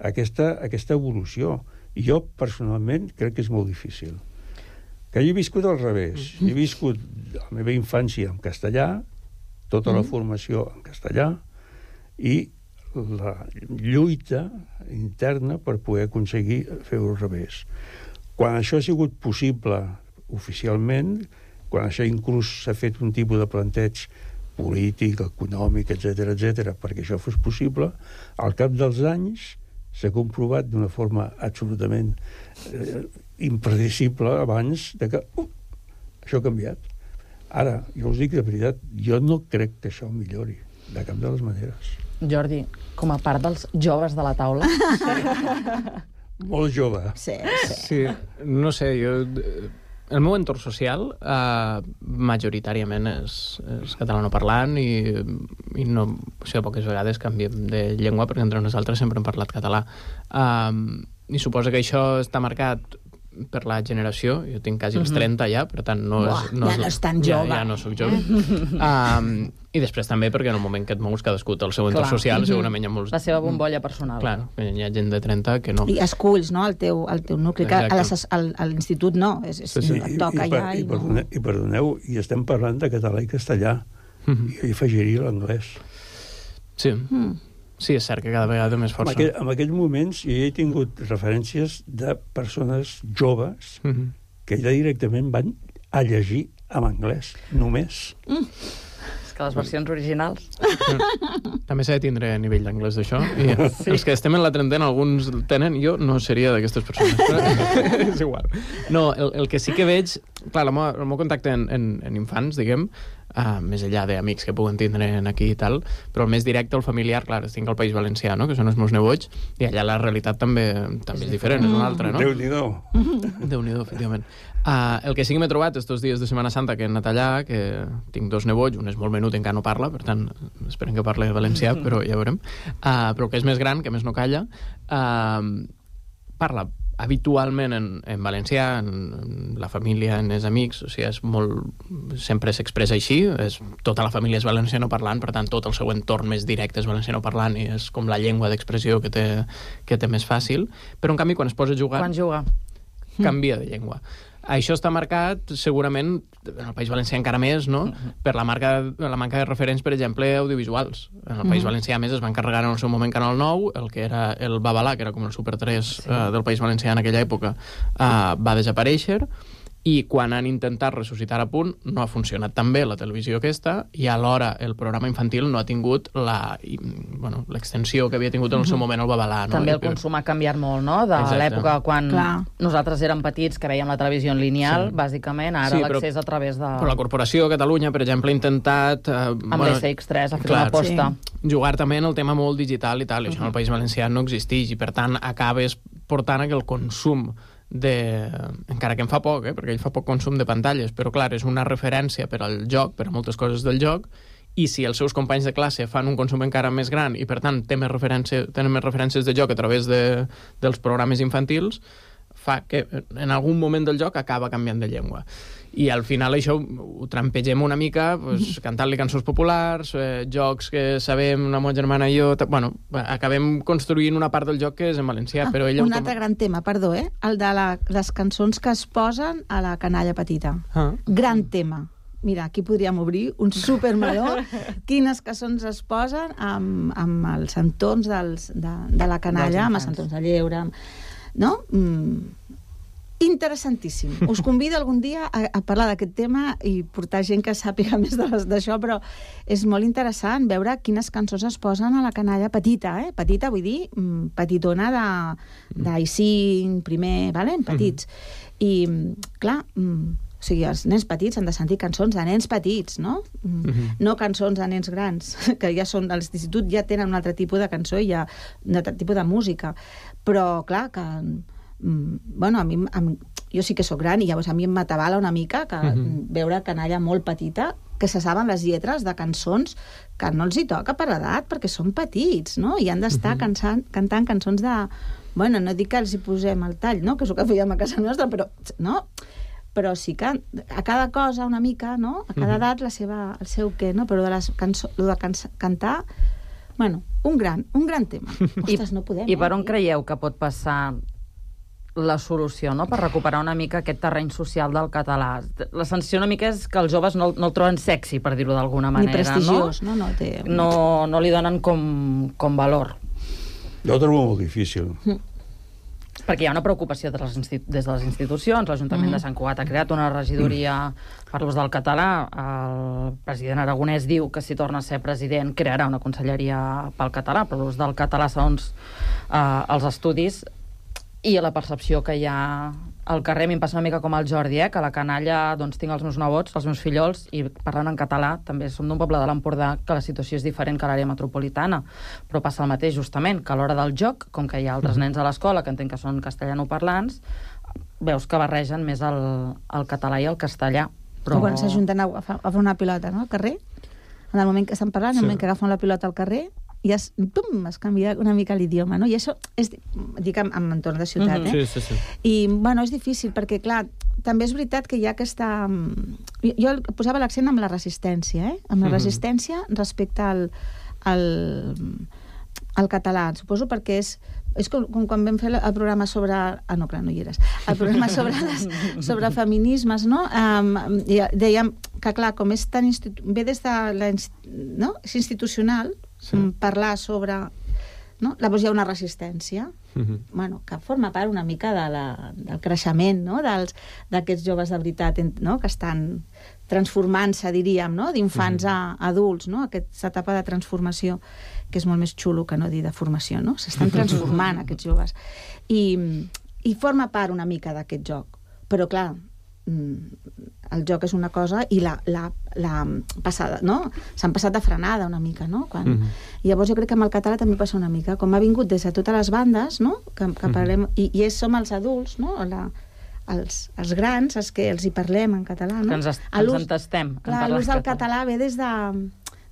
aquesta evolució. I jo, personalment, crec que és molt difícil. Que jo he viscut al revés. He viscut la meva infància en castellà, tota la formació en castellà, i la lluita interna per poder aconseguir fer-ho al revés. Quan això ha sigut possible oficialment, quan això inclús s'ha fet un tipus de planteig polític, econòmic, etc., perquè això fos possible, al cap dels anys s'ha comprovat d'una forma absolutament impredicible abans de que això ha canviat. Ara, jo us dic de veritat, jo no crec que això millori, de cap de les maneres. Jordi, com a part dels joves de la taula... Molt jove. Sí, no sé, jo... El meu entorn social majoritàriament és catalanoparlant i no, o sigui, poques vegades canviem de llengua perquè entre nosaltres sempre hem parlat català. I suposo que això està marcat per la generació. Jo tinc quasi els 30 ja, per tant no és... Ja no és tan jove. Ja no soc jove. I després també perquè en el moment que et mous cadascú té el seu entorn social, segurament hi ha molts... La seva bombolla personal. Clar, hi ha gent de 30 que no... I esculls, no?, el teu nucli, que a l'institut no, et toca allà i no... I perdoneu, i estem parlant de català i castellà. I jo afegiria l'anglès. Sí. Sí, és cert que cada vegada té més força. En aquells moments jo he tingut referències de persones joves que ja directament van a llegir en anglès, només. És que les versions originals... També s'ha de tindre nivell d'anglès d'això. I els que estem en la trentena, alguns tenen, jo no seria d'aquestes persones. Però és igual. No, el que sí que veig... Clar, el meu contacte en infants, diguem, més enllà d'amics que puguen tindre aquí i tal, però el més directe, el familiar, clar, estic al País Valencià, no?, que són els meus nebots, i allà la realitat també és diferent, és una altra, no? Déu-n'hi-do. Déu-n'hi-do, efectivament. El que sí que m'he trobat estos dies de Setmana Santa que he anat allà, que tinc 2 nebots, un és molt menut, encara no parla, per tant, esperem que parli valencià, però ja veurem. Però que és més gran, que més no calla, parla habitualment en valencià, en la família, en els amics, o sigui, és molt... sempre s'expressa així, tota la família és valencianoparlant, per tant, tot el seu entorn més directe és valencianoparlant i és com la llengua d'expressió que té més fàcil, però en canvi quan es posa a jugar... Quan juga. Canvia de llengua. Això està marcat, segurament, en el País Valencià encara més, no?, per la manca de referents, per exemple, audiovisuals. En el País Valencià, a més, es va encarregar en el seu moment Canal 9, el que era el Babalà, que era com el Super 3 del País Valencià en aquella època, va desaparèixer, i quan han intentat ressuscitar a punt no ha funcionat tan bé la televisió aquesta, i alhora el programa infantil no ha tingut l'extensió que havia tingut en el seu moment el Babalà. No? També el consum ha canviat molt, no?, de l'època quan nosaltres érem petits, que veiem la televisió en lineal, bàsicament, ara l'accés a través de... Però la Corporació de Catalunya, per exemple, ha intentat... amb l'SX3 ha fet una aposta. Jugar també en el tema molt digital i tal, i això en el País Valencià no existeix, i per tant acabes portant que el consum encara que en fa poc, perquè ell fa poc consum de pantalles, però clar, és una referència per al joc, per a moltes coses del joc, i si els seus companys de classe fan un consum encara més gran i per tant tenen més referències de joc a través dels programes infantils, fa que en algun moment del joc acaba canviant de llengua. I al final això ho trampegem una mica, cantant-li cançons populars, jocs que sabem, la meva germana i jo... Bueno, acabem construint una part del joc que és en valencià, però ella... Un altre gran tema, perdó, el de les cançons que es posen a la canalla petita. Gran tema. Mira, aquí podríem obrir un supermeló. Quines cançons es posen amb els entorns de la canalla, amb els entorns de lleure, no? Interessantíssim. Us convido algun dia a parlar d'aquest tema i portar gent que sàpiga més d'això, però és molt interessant veure quines cançons es posen a la canalla petita, petita vull dir petitona d'I5, primer, petits. I, clar, o sigui, els nens petits han de sentir cançons de nens petits, no? No cançons de nens grans, que ja són de l'institut, ja tenen un altre tipus de cançó i ja un altre tipus de música. Però, clar, que... bueno, jo sí que sóc gran i llavors a mi em m'atabala una mica que veure canalla molt petita que se saben les lletres de cançons que no els hi toca per edat perquè són petits, no? I han d'estar cantant cançons de... Bueno, no dic que els hi posem el tall, no? Que és el que fèiem a casa nostra, però... no? Però sí que a cada cosa una mica, no? A cada edat el seu què, no? Però de cantar... Bueno, un gran tema. Ostres, no podem. I per on creieu que pot passar la solució, no?, per recuperar una mica aquest terreny social del català? La sensació una mica és que els joves no el troben sexy, per dir-ho d'alguna manera, ni prestigiós, no? No li donen com valor. Jo ho trobo molt difícil. Perquè hi ha una preocupació des de les institucions. L'Ajuntament de Sant Cugat ha creat una regidoria per l'ús del català. El president Aragonès diu que si torna a ser president crearà una conselleria pel català, per l'ús del català segons els estudis i la percepció que hi ha al carrer. A mi em passa una mica com al Jordi, que a la canalla doncs, tinc els meus nebots, els meus fillols, i parlant en català, també som d'un poble de l'Empordà que la situació és diferent que a l'àrea metropolitana, però passa el mateix justament, que a l'hora del joc, com que hi ha altres nens a l'escola que entenc que són castellanoparlants, veus que barregen més el català i el castellà. Però quan s'ajunten a fer una pilota, no?, al carrer, en el moment que estan parlant, en el moment que agafen la pilota al carrer, i es canvia una mica l'idioma, no? I això és, dic, en entorn de ciutat, Sí. I, bueno, és difícil, perquè, clar, també és veritat que hi ha aquesta... Jo posava l'accent amb la resistència, amb la resistència respecte al català. Suposo perquè és com quan vam fer el programa sobre... no, clar, no hi eres. El programa sobre feminismes, no? Dèiem que, clar, com és tan... ve des de la... no? És institucional, parlar sobre no? Llavors hi ha una resistència, bueno, que forma part una mica del creixement, no? D'aquests joves de veritat, no? Que estan transformant-se, diríem, no? D'infants a adults, no? Aquesta etapa de transformació, que és molt més xulo que no dir de formació, no? S'estan transformant aquests joves. I forma part una mica d'aquest joc. Però, clar, el joc és una cosa i la passada, no? S'han passat de frenada una mica, no? I llavors jo crec que amb el català també passa una mica, com ha vingut des de totes les bandes, no? Que parlem, i som els adults, no? Els grans, els que els hi parlem en català, no? Que ens entestem. Clar, l'ús del català ve des de...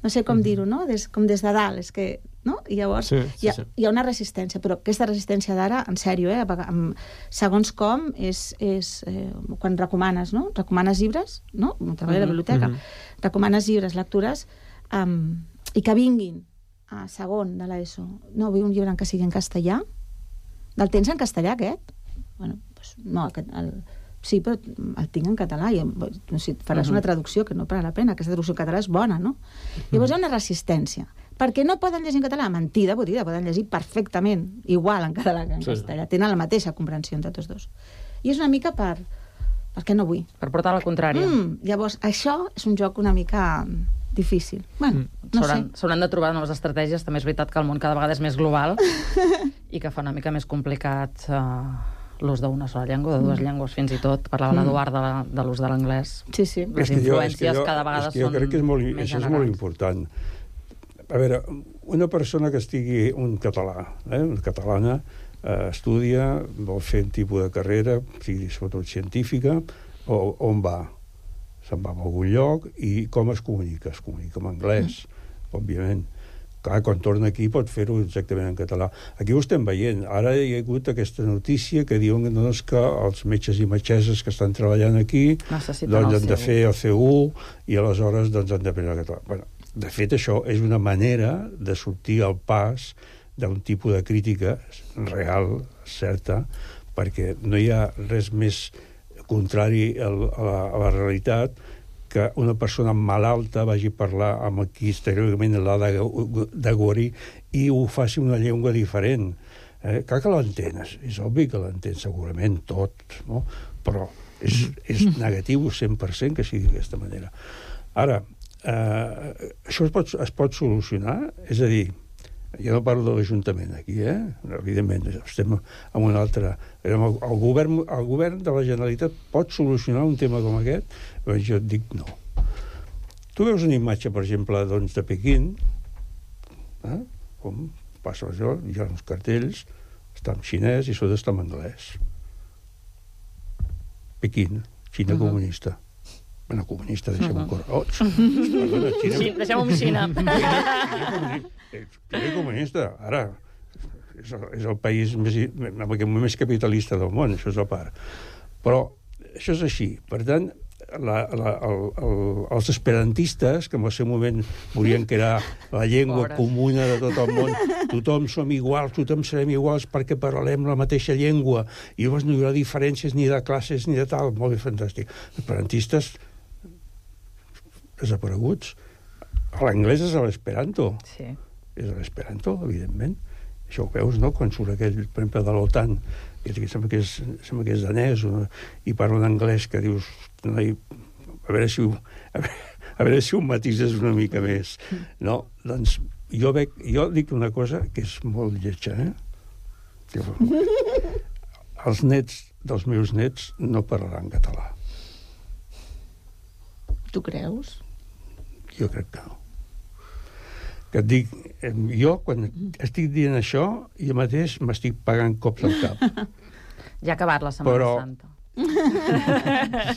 no sé com dir-ho, no? Com des de dalt, és que... no? I llavors hi ha una resistència, però aquesta resistència d'ara, en sèrio, segons com, és quan recomanes, no? Recomanes llibres, no? Treballo a la biblioteca. Recomanes llibres, lectures, i que vinguin a segon de l'ESO. No, vull un llibre en què sigui en castellà. El tens en castellà, aquest? Bueno, doncs no, sí, però el tinc en català i faràs una traducció que no val la pena, aquesta traducció en català és bona, no? Llavors hi ha una resistència. Per què no poden llegir en català? Mentida, poden llegir perfectament, igual en català que en castellà. Tenen la mateixa comprensió entre tots dos. I és una mica per què no vull? Per portar la contrària. Llavors, això és un joc una mica difícil. Bueno, no sé. S'hauran de trobar noves estratègies. També és veritat que el món cada vegada és més global i que fa una mica més complicat l'ús d'una sola llengua, de dues llengües fins i tot. Parlava l'Eduard de l'ús de l'anglès. Sí, sí. Les influències cada vegada són més generals. Jo crec que això és molt important. A veure, una persona que estigui una catalana, estudia, vol fer un tipus de carrera, sigui sobretot científica, on va? Se'n va a algun lloc i com es comunica? Es comunica en anglès, òbviament. Clar, quan torna aquí pot fer-ho exactament en català. Aquí ho estem veient. Ara hi ha hagut aquesta notícia que diuen que els metges i metgesses que estan treballant aquí doncs han de fer el C1 i aleshores doncs han d'aprendre català. Bueno, de fet, això és una manera de sortir al pas d'un tipus de crítica real, certa, perquè no hi ha res més contrari a la realitat que una persona malalta vagi a parlar amb qui teòricament l'ha de guarir i ho faci una llengua diferent. Clar que l'entens, és obvi que l'entens segurament tot, no? Però és negatiu 100% que sigui d'aquesta manera. Ara, això es pot solucionar? És a dir, jo no parlo de l'Ajuntament aquí, evidentment, estem en una altra... El govern de la Generalitat pot solucionar un tema com aquest? Jo et dic no. Tu veus una imatge, per exemple, de Pequín, com passa això, hi ha uns cartells, està en xinès i sota està en anglès. Pequín, Xina comunista. Bueno, comunista, deixem-ho corrots. Sí, deixem-ho amb Xina. Xina comunista, ara, és el país més capitalista del món, això és a part. Però això és així. Per tant, els esperantistes, que en el seu moment volien que era la llengua comuna de tot el món, tothom som iguals, tothom serem iguals perquè parlem la mateixa llengua, i llavors no hi haurà diferències ni de classes ni de tal, molt bé, fantàstic. Esperantistes desapareguts. L'anglès és l'esperanto. Sí. És l'esperanto, evidentment. Això ho veus, no?, quan surt aquell, per exemple, de l'OTAN, que sembla que és danès, i parla en anglès, que dius, a veure si ho matises una mica més. No? Doncs jo dic una cosa que és molt lletja, Els nets dels meus nets no parlaran català. Tu creus? Jo crec que no. Que et dic, jo quan estic dient això, jo mateix m'estic pagant cops al cap. Ja ha acabat la Setmana Santa.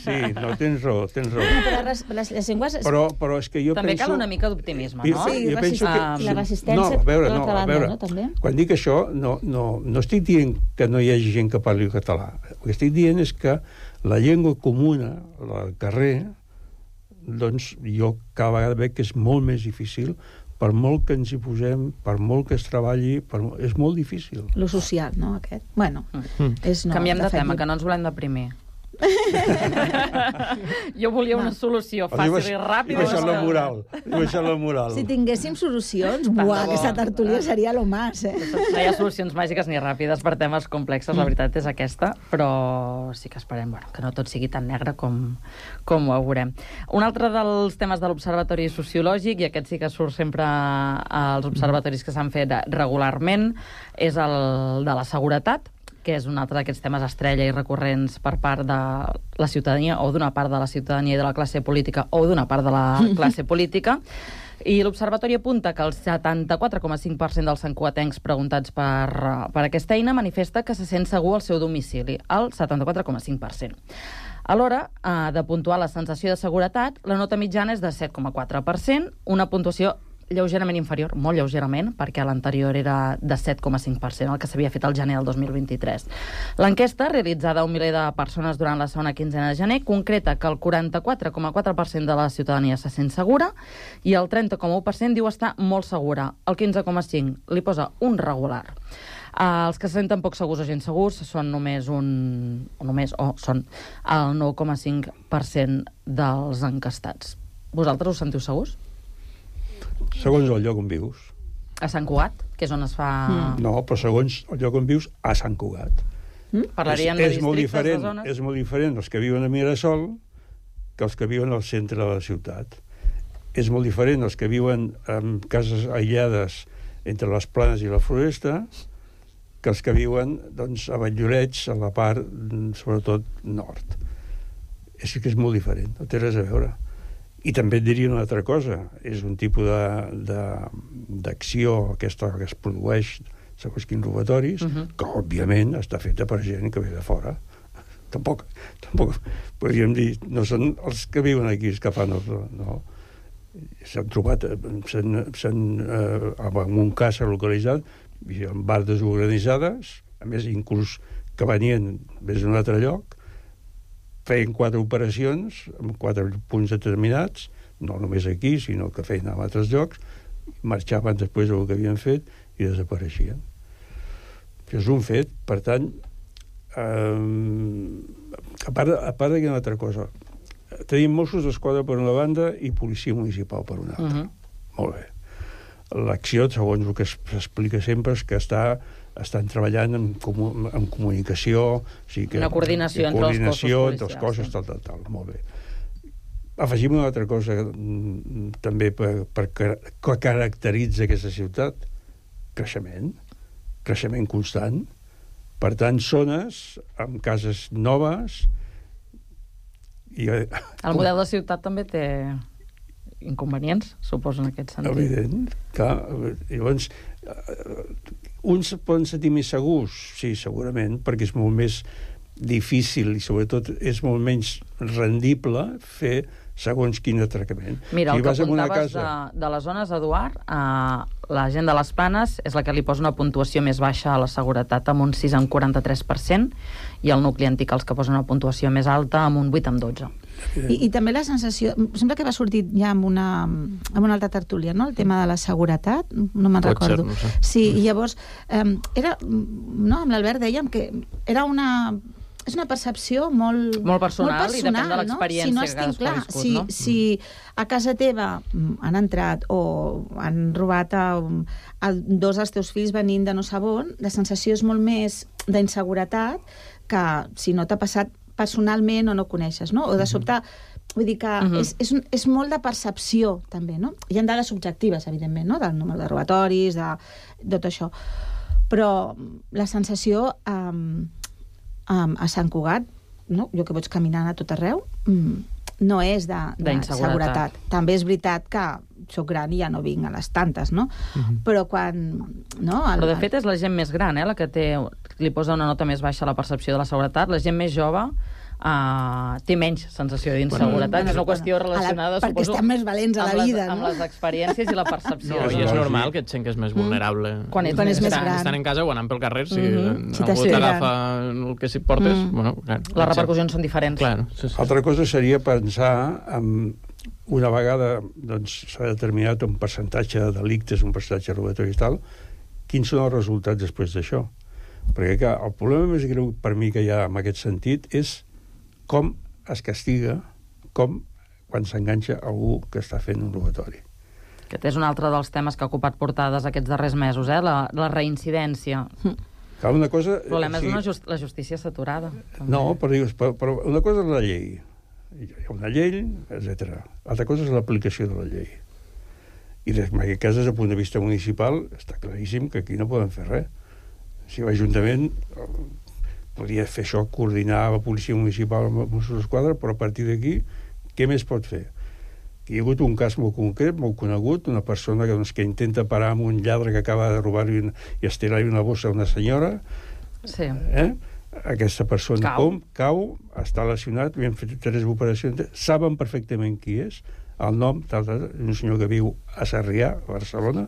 Sí, no, tens raó. Però les llengües... Però és que jo també penso... cal una mica d'optimisme, no? Sí, la resistència... No, a veure, també. Quan dic això, no estic dient que no hi hagi gent que parli català. El que estic dient és que la llengua comuna, al carrer, doncs jo cada vegada veig que és molt més difícil, per molt que ens hi posem, per molt que es treballi, és molt difícil. Lo social, no, aquest? Bueno, és no... Canviem de tema, que no ens volem deprimir. Jo volia una solució fàcil i ràpida. I baixar la moral. Si tinguéssim solucions, aquesta tertúlia seria lo más, No hi ha solucions màgiques ni ràpides per temes complexos, la veritat és aquesta, però sí que esperem que no tot sigui tan negre com ho veurem. Un altre dels temes de l'Observatori Sociològic, i aquest sí que surt sempre als observatoris que s'han fet regularment, és el de la seguretat, que és un altre d'aquests temes estrella i recurrents per part de la ciutadania o d'una part de la ciutadania i de la classe política o d'una part de la classe política. I l'Observatori apunta que el 74,5% dels santcugatencs preguntats per aquesta eina manifesta que se sent segur al seu domicili, el 74,5%. A l'hora de puntuar la sensació de seguretat, la nota mitjana és de 7,4%, una puntuació lleugerament inferior, molt lleugerament, perquè l'anterior era de 7,5%, el que s'havia fet al gener del 2023. L'enquesta, realitzada a 1 miler de persones durant la segona quinzena de gener, concreta que el 44,4% de la ciutadania se sent segura i el 30,1% diu estar molt segura. El 15,5% li posa un regular. Els que se senten poc segurs o gens segurs són són el 9,5% dels encastats. Vosaltres us sentiu segurs? Segons el lloc on vius. A Sant Cugat, que és on es fa... No, però segons el lloc on vius, a Sant Cugat. Parlarien de districtes, de zones? És molt diferent els que viuen a Mirasol que els que viuen al centre de la ciutat. És molt diferent els que viuen en cases aïllades entre les planes i la floresta que els que viuen a Valldoreix, a la part, sobretot, nord. És que és molt diferent, no té res a veure. I també et diria una altra cosa, és un tipus d'acció aquesta que es produeix segons quins robatoris, que òbviament està feta per gent que ve de fora. Tampoc podríem dir, no són els que viuen aquí els que fan no. S'han trobat en un cas s'ha localitzat en bandes organitzades, a més inclús que venien des d'un altre lloc, feien 4 operacions en 4 punts determinats, no només aquí, sinó que feien en altres llocs, marxaven després del que havien fet i desapareixien. Això és un fet, per tant, a part d'aquesta altra cosa, tenim Mossos d'Esquadra per una banda i policia municipal per una altra. Molt bé. L'acció, segons el que s'explica sempre, és que estan treballant en comunicació, una coordinació entre els cossos policials. Tal. Molt bé. Afegim una altra cosa també que caracteritza aquesta ciutat: creixement constant. Per tant, zones amb cases noves el model de ciutat també té inconvenients, suposo, en aquest sentit. Evident. Llavors, uns poden sentir més segurs, sí, segurament, perquè és molt més difícil i sobretot és molt menys rendible fer segons quin atracament. Mira, el que apuntaves de les zones, Eduard, la gent de les Planes és la que li posa una puntuació més baixa a la seguretat, amb un 6,43%, i el nucli antic els que posen una puntuació més alta, amb un 8,12%. I també la sensació, sembla que va sortir ja amb una altra tertúlia, no? El tema de la seguretat, no me'n recordo. No sé. Sí, i llavors era, no, amb l'Albert dèiem que era és una percepció molt personal i depèn de l'experiència que cadascú ha viscut, si a casa teva han entrat o han robat dos dels teus fills venint de no sé on, la sensació és molt més d'inseguretat que si no t'ha passat personalment o no coneixes, no? O de sobte, vull dir que és molt de percepció, també, no? Hi ha dades subjectives, evidentment, no? Del número de robatoris, de tot això. Però la sensació a Sant Cugat, no? Jo que vaig caminant a tot arreu, no és de seguretat. També és veritat que soc gran i ja no vinc a les tantes, no? Però quan... Però de fet és la gent més gran, la que li posa una nota més baixa a la percepció de la seguretat. La gent més jove té menys sensació d'inseguretat. És una qüestió relacionada, perquè estan més valents a la vida, amb les experiències i la percepció. I és normal que et sent que és més vulnerable. Quan és més gran. Estan en casa o anant pel carrer, si algú t'agafa el que s'hi portes... Les repercussions són diferents. Altra cosa seria pensar en una vegada s'ha determinat un percentatge de delictes, un percentatge robatori i tal, quins són els resultats després d'això? Perquè el problema més greu per mi que hi ha en aquest sentit és com es castiga, com quan s'enganxa algú que està fent un robatori. Aquest és un altre dels temes que ha ocupat portades aquests darrers mesos, la reincidència. Clar, una cosa... El problema és la justícia saturada. No, però una cosa és la llei. Hi ha una llei, etc. Altra cosa és l'aplicació de la llei. I en aquest cas, des del punt de vista municipal, està claríssim que aquí no poden fer res. Si l'Ajuntament podria fer això, coordinar la policia municipal amb els Mossos d'Esquadra, però a partir d'aquí, què més pot fer? Hi ha hagut un cas molt concret, molt conegut, una persona que intenta parar amb un lladre que acaba de robar-li i estirar-li una bossa a una senyora. Sí. Aquesta persona cau, està lesionat, li han fet 3 operacions, saben perfectament qui és, el nom, un senyor que viu a Sarrià, a Barcelona,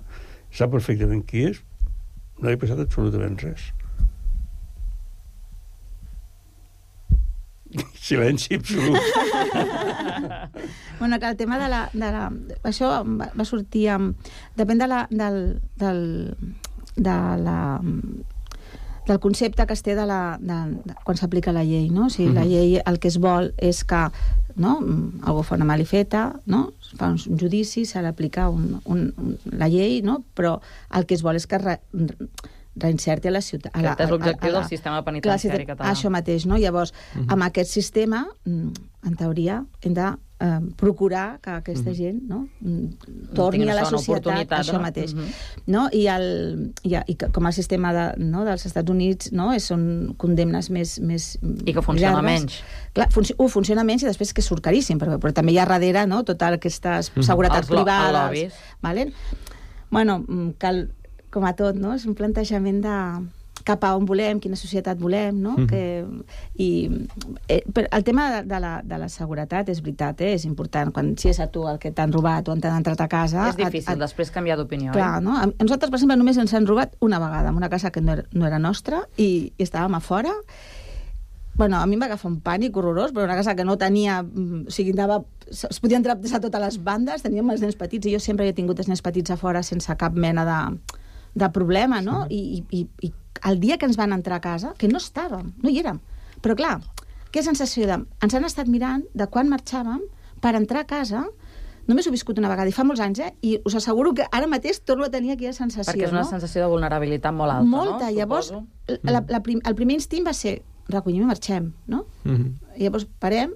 sap perfectament qui és, no li ha passat absolutament res. Silenci absolut. Bueno, que el tema de la això va sortir depèn del concepte que es té quan s'aplica la llei, no? O sigui, la llei el que es vol és que algú fa una malifeta, no? Fa un judici, s'ha d'aplicar la llei, no? Però el que es vol és que reinserti a la ciutat. Aquest és l'objectiu del sistema penitenciari català. Això mateix, no? Llavors, amb aquest sistema, en teoria, hem de procurar que aquesta gent torni a la societat, això mateix. I com el sistema dels Estats Units són condemnes més i que funciona menys. Clar, funciona menys i després que surt caríssim, però també hi ha darrere tota aquesta seguretat privada. Bueno, cal com a tot, no? És un plantejament de cap a on volem, quina societat volem, no? Però el tema de la seguretat és veritat, és important. Si és a tu el que t'han robat o t'han entrat a casa... És difícil després canviar d'opinió. Clar, no? A nosaltres, per exemple, només ens han robat una vegada, en una casa que no era nostra, i estàvem a fora. Bueno, a mi em va agafar un pànic horrorós, però una casa que no tenia... O sigui, es podia entrar des de totes les bandes, teníem els nens petits, i jo sempre he tingut els nens petits a fora sense cap mena de problema, no? I el dia que ens van entrar a casa, que no estàvem, no hi érem. Però clar, què sensació ens han estat mirant de quan marxàvem per entrar a casa. Només ho he viscut una vegada, i fa molts anys, i us asseguro que ara mateix torno a tenir aquella sensació. Perquè és una sensació de vulnerabilitat molt alta, molta. Llavors, el primer instint va ser recollim i marxem, no? I llavors parem,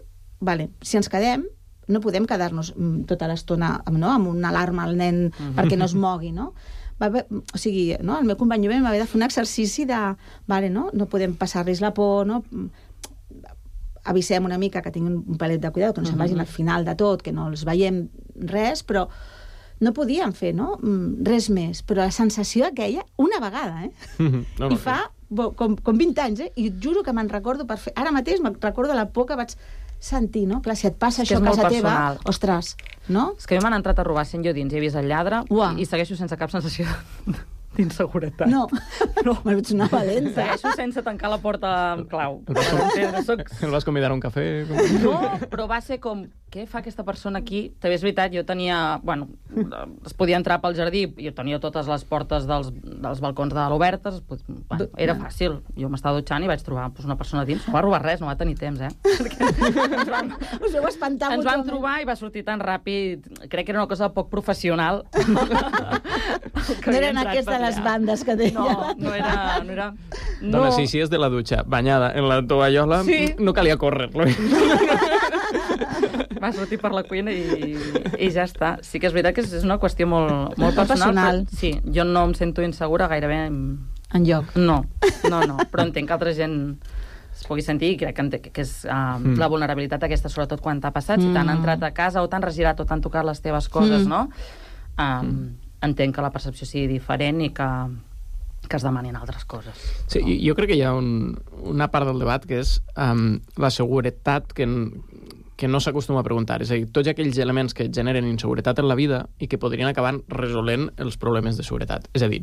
si ens quedem, no podem quedar-nos tota l'estona amb una alarma al nen perquè no es mogui, no? O sigui, el meu company va haver de fer un exercici de no podem passar-los la por, no? Avisem una mica que tinguin un palet de cuidado, que no se'n vagin al final de tot, que no els veiem res, però no podíem fer res més. Però la sensació aquella, una vegada, i fa com 20 anys, i juro que me'n recordo per fer... Ara mateix me'n recordo la por que vaig sentir, no? Clar, si et passa això a casa teva, ostres, no? És que a mi m'han entrat a robar sent jo dins i he vist el lladre i segueixo sense cap sensació d'inseguretat. No, me'n veig una valenta. Segueixo sense tancar la porta amb clau. El vas convidar a un cafè? No, però va ser com... Què fa aquesta persona aquí? També és veritat, jo tenia... Bueno, es podia entrar pel jardí, jo tenia totes les portes dels balcons de l'obertes, era fàcil. Jo m'estava dutxant i vaig trobar una persona dins. No va robar res, no va tenir temps, Us heu espantat. Ens vam trobar i va sortir tan ràpid. Crec que era una cosa poc professional. No eren aquests de les bandes que deia. No era... Dona, si és de la dutxa, banyada en la tovallola, no calia córrer-lo. Va sortir per la cuina i ja està. Sí que és veritat que és una qüestió molt personal. Sí, jo no em sento insegura gairebé enlloc. No, però entenc que altra gent es pugui sentir i crec que és la vulnerabilitat aquesta, sobretot quan t'ha passat, si t'han entrat a casa o t'han regirat o t'han tocat les teves coses, no? Entenc que la percepció sigui diferent i que es demanin altres coses. Sí, jo crec que hi ha una part del debat que és la seguretat que no s'acostuma a preguntar. És a dir, tots aquells elements que generen inseguretat en la vida i que podrien acabar resolent els problemes de seguretat. És a dir,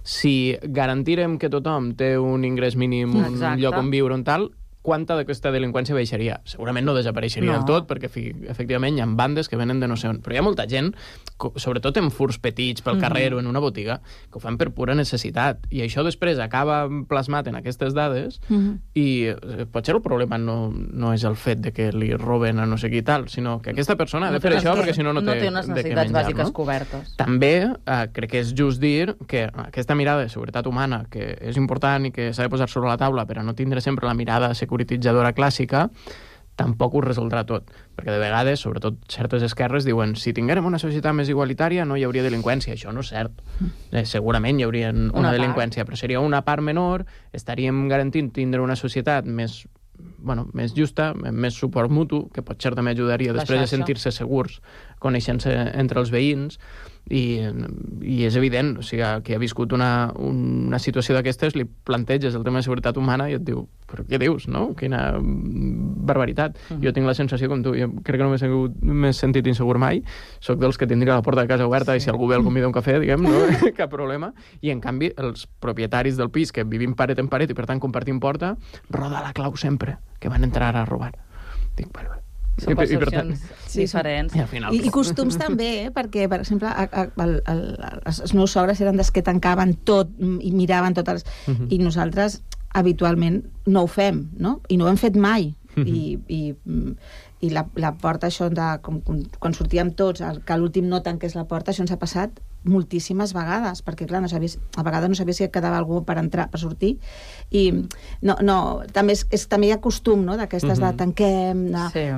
si garantirem que tothom té un ingrés mínim, un lloc on viure, on tal, quanta d'aquesta delinqüència baixaria. Segurament no desapareixeria del tot, perquè efectivament hi ha bandes que venen de no sé on. Però hi ha molta gent, sobretot en furs petits pel carrer o en una botiga, que ho fan per pura necessitat. I això després acaba plasmat en aquestes dades i potser el problema no és el fet de que li roben a no sé qui tal, sinó que aquesta persona ha de fer això perquè si no té unes de què necessitats menjar. bàsiques cobertes. També crec que és just dir que aquesta mirada de seguretat humana, que és important i que s'ha de posar sobre la taula per a no tindre sempre la mirada securititzadora clàssica, tampoc ho resoldrà tot. Perquè de vegades, sobretot certes esquerres, diuen si tinguérem una societat més igualitària no hi hauria delinqüència. Això no és cert. Segurament hi hauria una delinqüència, però seria una part menor, estaríem garantint tindre una societat més justa, més suport mutu, que potser també ajudaria després de sentir-se segurs, coneixent-se entre els veïns, i és evident, o sigui, que ha viscut una situació d'aquestes, li planteges el tema de seguretat humana i et diu, però què dius, no? Quina barbaritat. Jo tinc la sensació com tu, jo crec que no m'he sentit insegur mai, soc dels que tindria la porta de casa oberta i si algú ve el convida a un cafè, diguem, no? Cap problema. I en canvi, els propietaris del pis, que vivim paret en paret i per tant compartim porta, roda la clau sempre, que van entrar a robar. Dic, bueno, són percepcions diferents. I costums també, perquè, per exemple, els meus sogres eren des que tancaven tot i miraven totes i nosaltres habitualment no ho fem, no? I no ho hem fet mai. I la porta, això, quan sortíem tots, que l'últim no tanqués la porta, això ens ha passat moltíssimes vegades, perquè clar, a vegades no sabia si quedava algú per entrar, per sortir, i també hi ha costum, no?, d'aquestes de tanquem,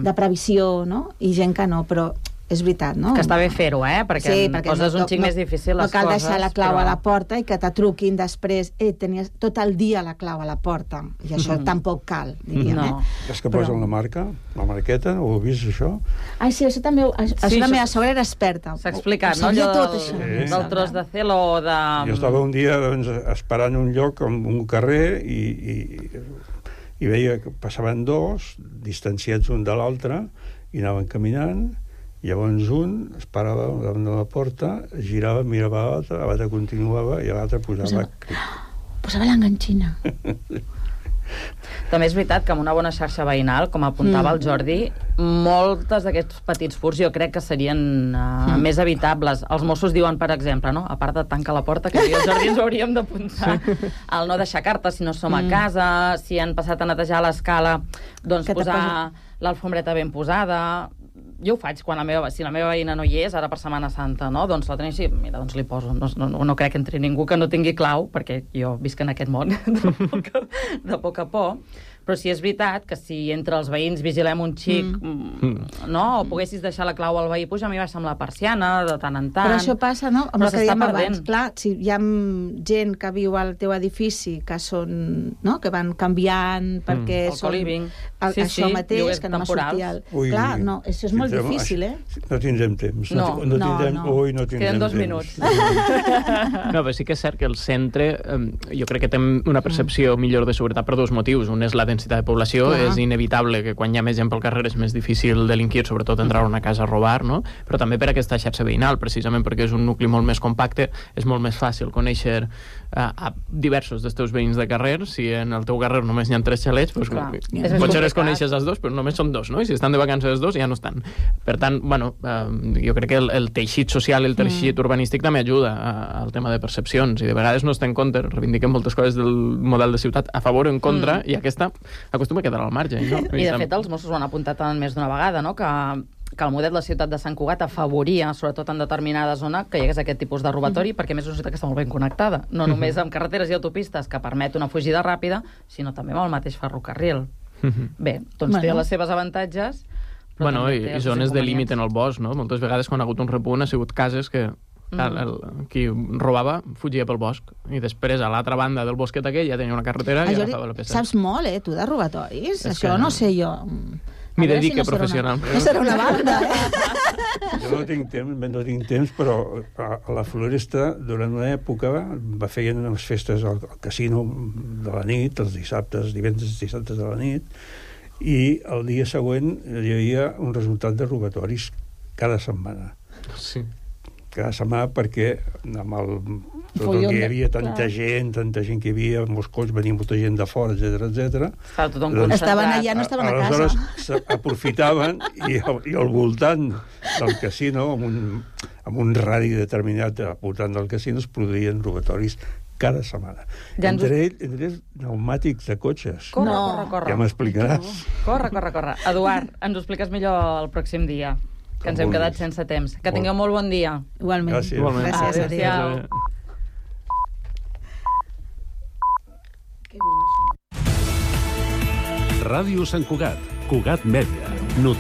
de previsió, no?, i gent que no, però és veritat, no? Que està bé fer-ho, perquè poses un xic més difícil les coses. No cal deixar la clau a la porta i que te truquin després, tenies tot el dia la clau a la porta, i això tampoc cal, diríem, És que posen la marca, la marqueta, ho heu vist, això? Ai, sí, això també, la meva sogra era experta. S'ha explicat, no? Allò del tros de celo o de... Jo estava un dia esperant un lloc, un carrer, i veia que passaven dos, distanciats un de l'altre, i anaven caminant. Llavors un es parava davant de la porta, girava, mirava l'altre continuava i l'altre posava l'enganxina. També és veritat que amb una bona xarxa veïnal, com apuntava el Jordi, moltes d'aquests petits furs jo crec que serien més evitables. Els Mossos diuen, per exemple, no? A part de tancar la porta, que jo i el Jordi ens ho hauríem d'apuntar, el no deixar cartes si no som a casa, si han passat a netejar l'escala, doncs posar l'alfombreta ben posada. Jo ho faig quan si la meva veïna no hi és, ara per Setmana Santa, no? Doncs la tenim, mira, doncs li poso. No crec que entri ningú que no tingui clau, perquè jo visc en aquest món de poc a poc. Però sí és veritat que si entre els veïns vigilem un xic, no? O poguessis deixar la clau al veí, puja, a mi baixar amb la persiana, de tant en tant. Però això passa, no? Amb el que dèiem abans. Clar, si hi ha gent que viu al teu edifici que són, no? Que van canviant perquè són... Això mateix, que no m'ha sortit... Clar, no, això és molt difícil, No tindrem temps. No tindrem temps. Queden 2 minuts. No, però sí que és cert que el centre, jo crec que té una percepció millor de seguretat per 2 motius. Un és la densitat de població, és inevitable que quan hi ha més gent pel carrer és més difícil delinquir, sobretot entrar a una casa a robar, no? Però també per aquesta xarxa veïnal, precisament perquè és un nucli molt més compacte, és molt més fàcil conèixer a diversos dels teus veïns de carrer. Si en el teu carrer només hi ha 3 xalets, doncs potser es coneixes els 2, però només són 2, no? I si estan de vacances els 2, ja no estan. Per tant, bueno, jo crec que el teixit social i el teixit urbanístic també ajuda al tema de percepcions, i de vegades no es té en compte, reivindiquem moltes coses del model de ciutat a favor o en contra, i aquesta acostuma a quedar al marge. No? I de fet els Mossos ho han apuntat més d'una vegada, no? Que el model de la ciutat de Sant Cugat afavoria, sobretot en determinada zona, que hi hagués aquest tipus de robatori, perquè més és una ciutat que està molt ben connectada, no només amb carreteres i autopistes que permet una fugida ràpida, sinó també amb el mateix ferrocarril. Bé, doncs té les seves avantatges, però i zones de límit en el bosc, no? Moltes vegades quan ha hagut un repunt ha sigut cases que qui robava fugia pel bosc i després a l'altra banda del bosquet aquell ja tenia una carretera i agafava la peça. Saps molt, tu, de robatoris? Això no sé jo. M'hi dedique professionalment. No serà una banda, Jo no tinc temps, però a la Floresta, durant una època, feien unes festes al casino de la nit, els dissabtes, divendres dissabtes de la nit, i el dia següent hi havia un resultat de robatoris cada setmana. Sí. cada setmana, perquè amb el... Tot el que hi havia tanta gent que hi havia, molts cops, venia molta gent de fora, etc. Estaven allà, no estaven a casa. Aleshores aprofitaven i al voltant del casino, amb un radi determinat al voltant del casino, es produïen robatoris cada setmana. Entre ells, pneumàtics de cotxes. Corre. Ja m'explicaràs. Corre. Eduard, ens ho expliques millor el pròxim dia, que ens hem quedat sense temps. Que tingueu molt bon dia. Igualment. Gràcies. Adéu-siau. Ràdio Sant Cugat, Cugat Mèdia.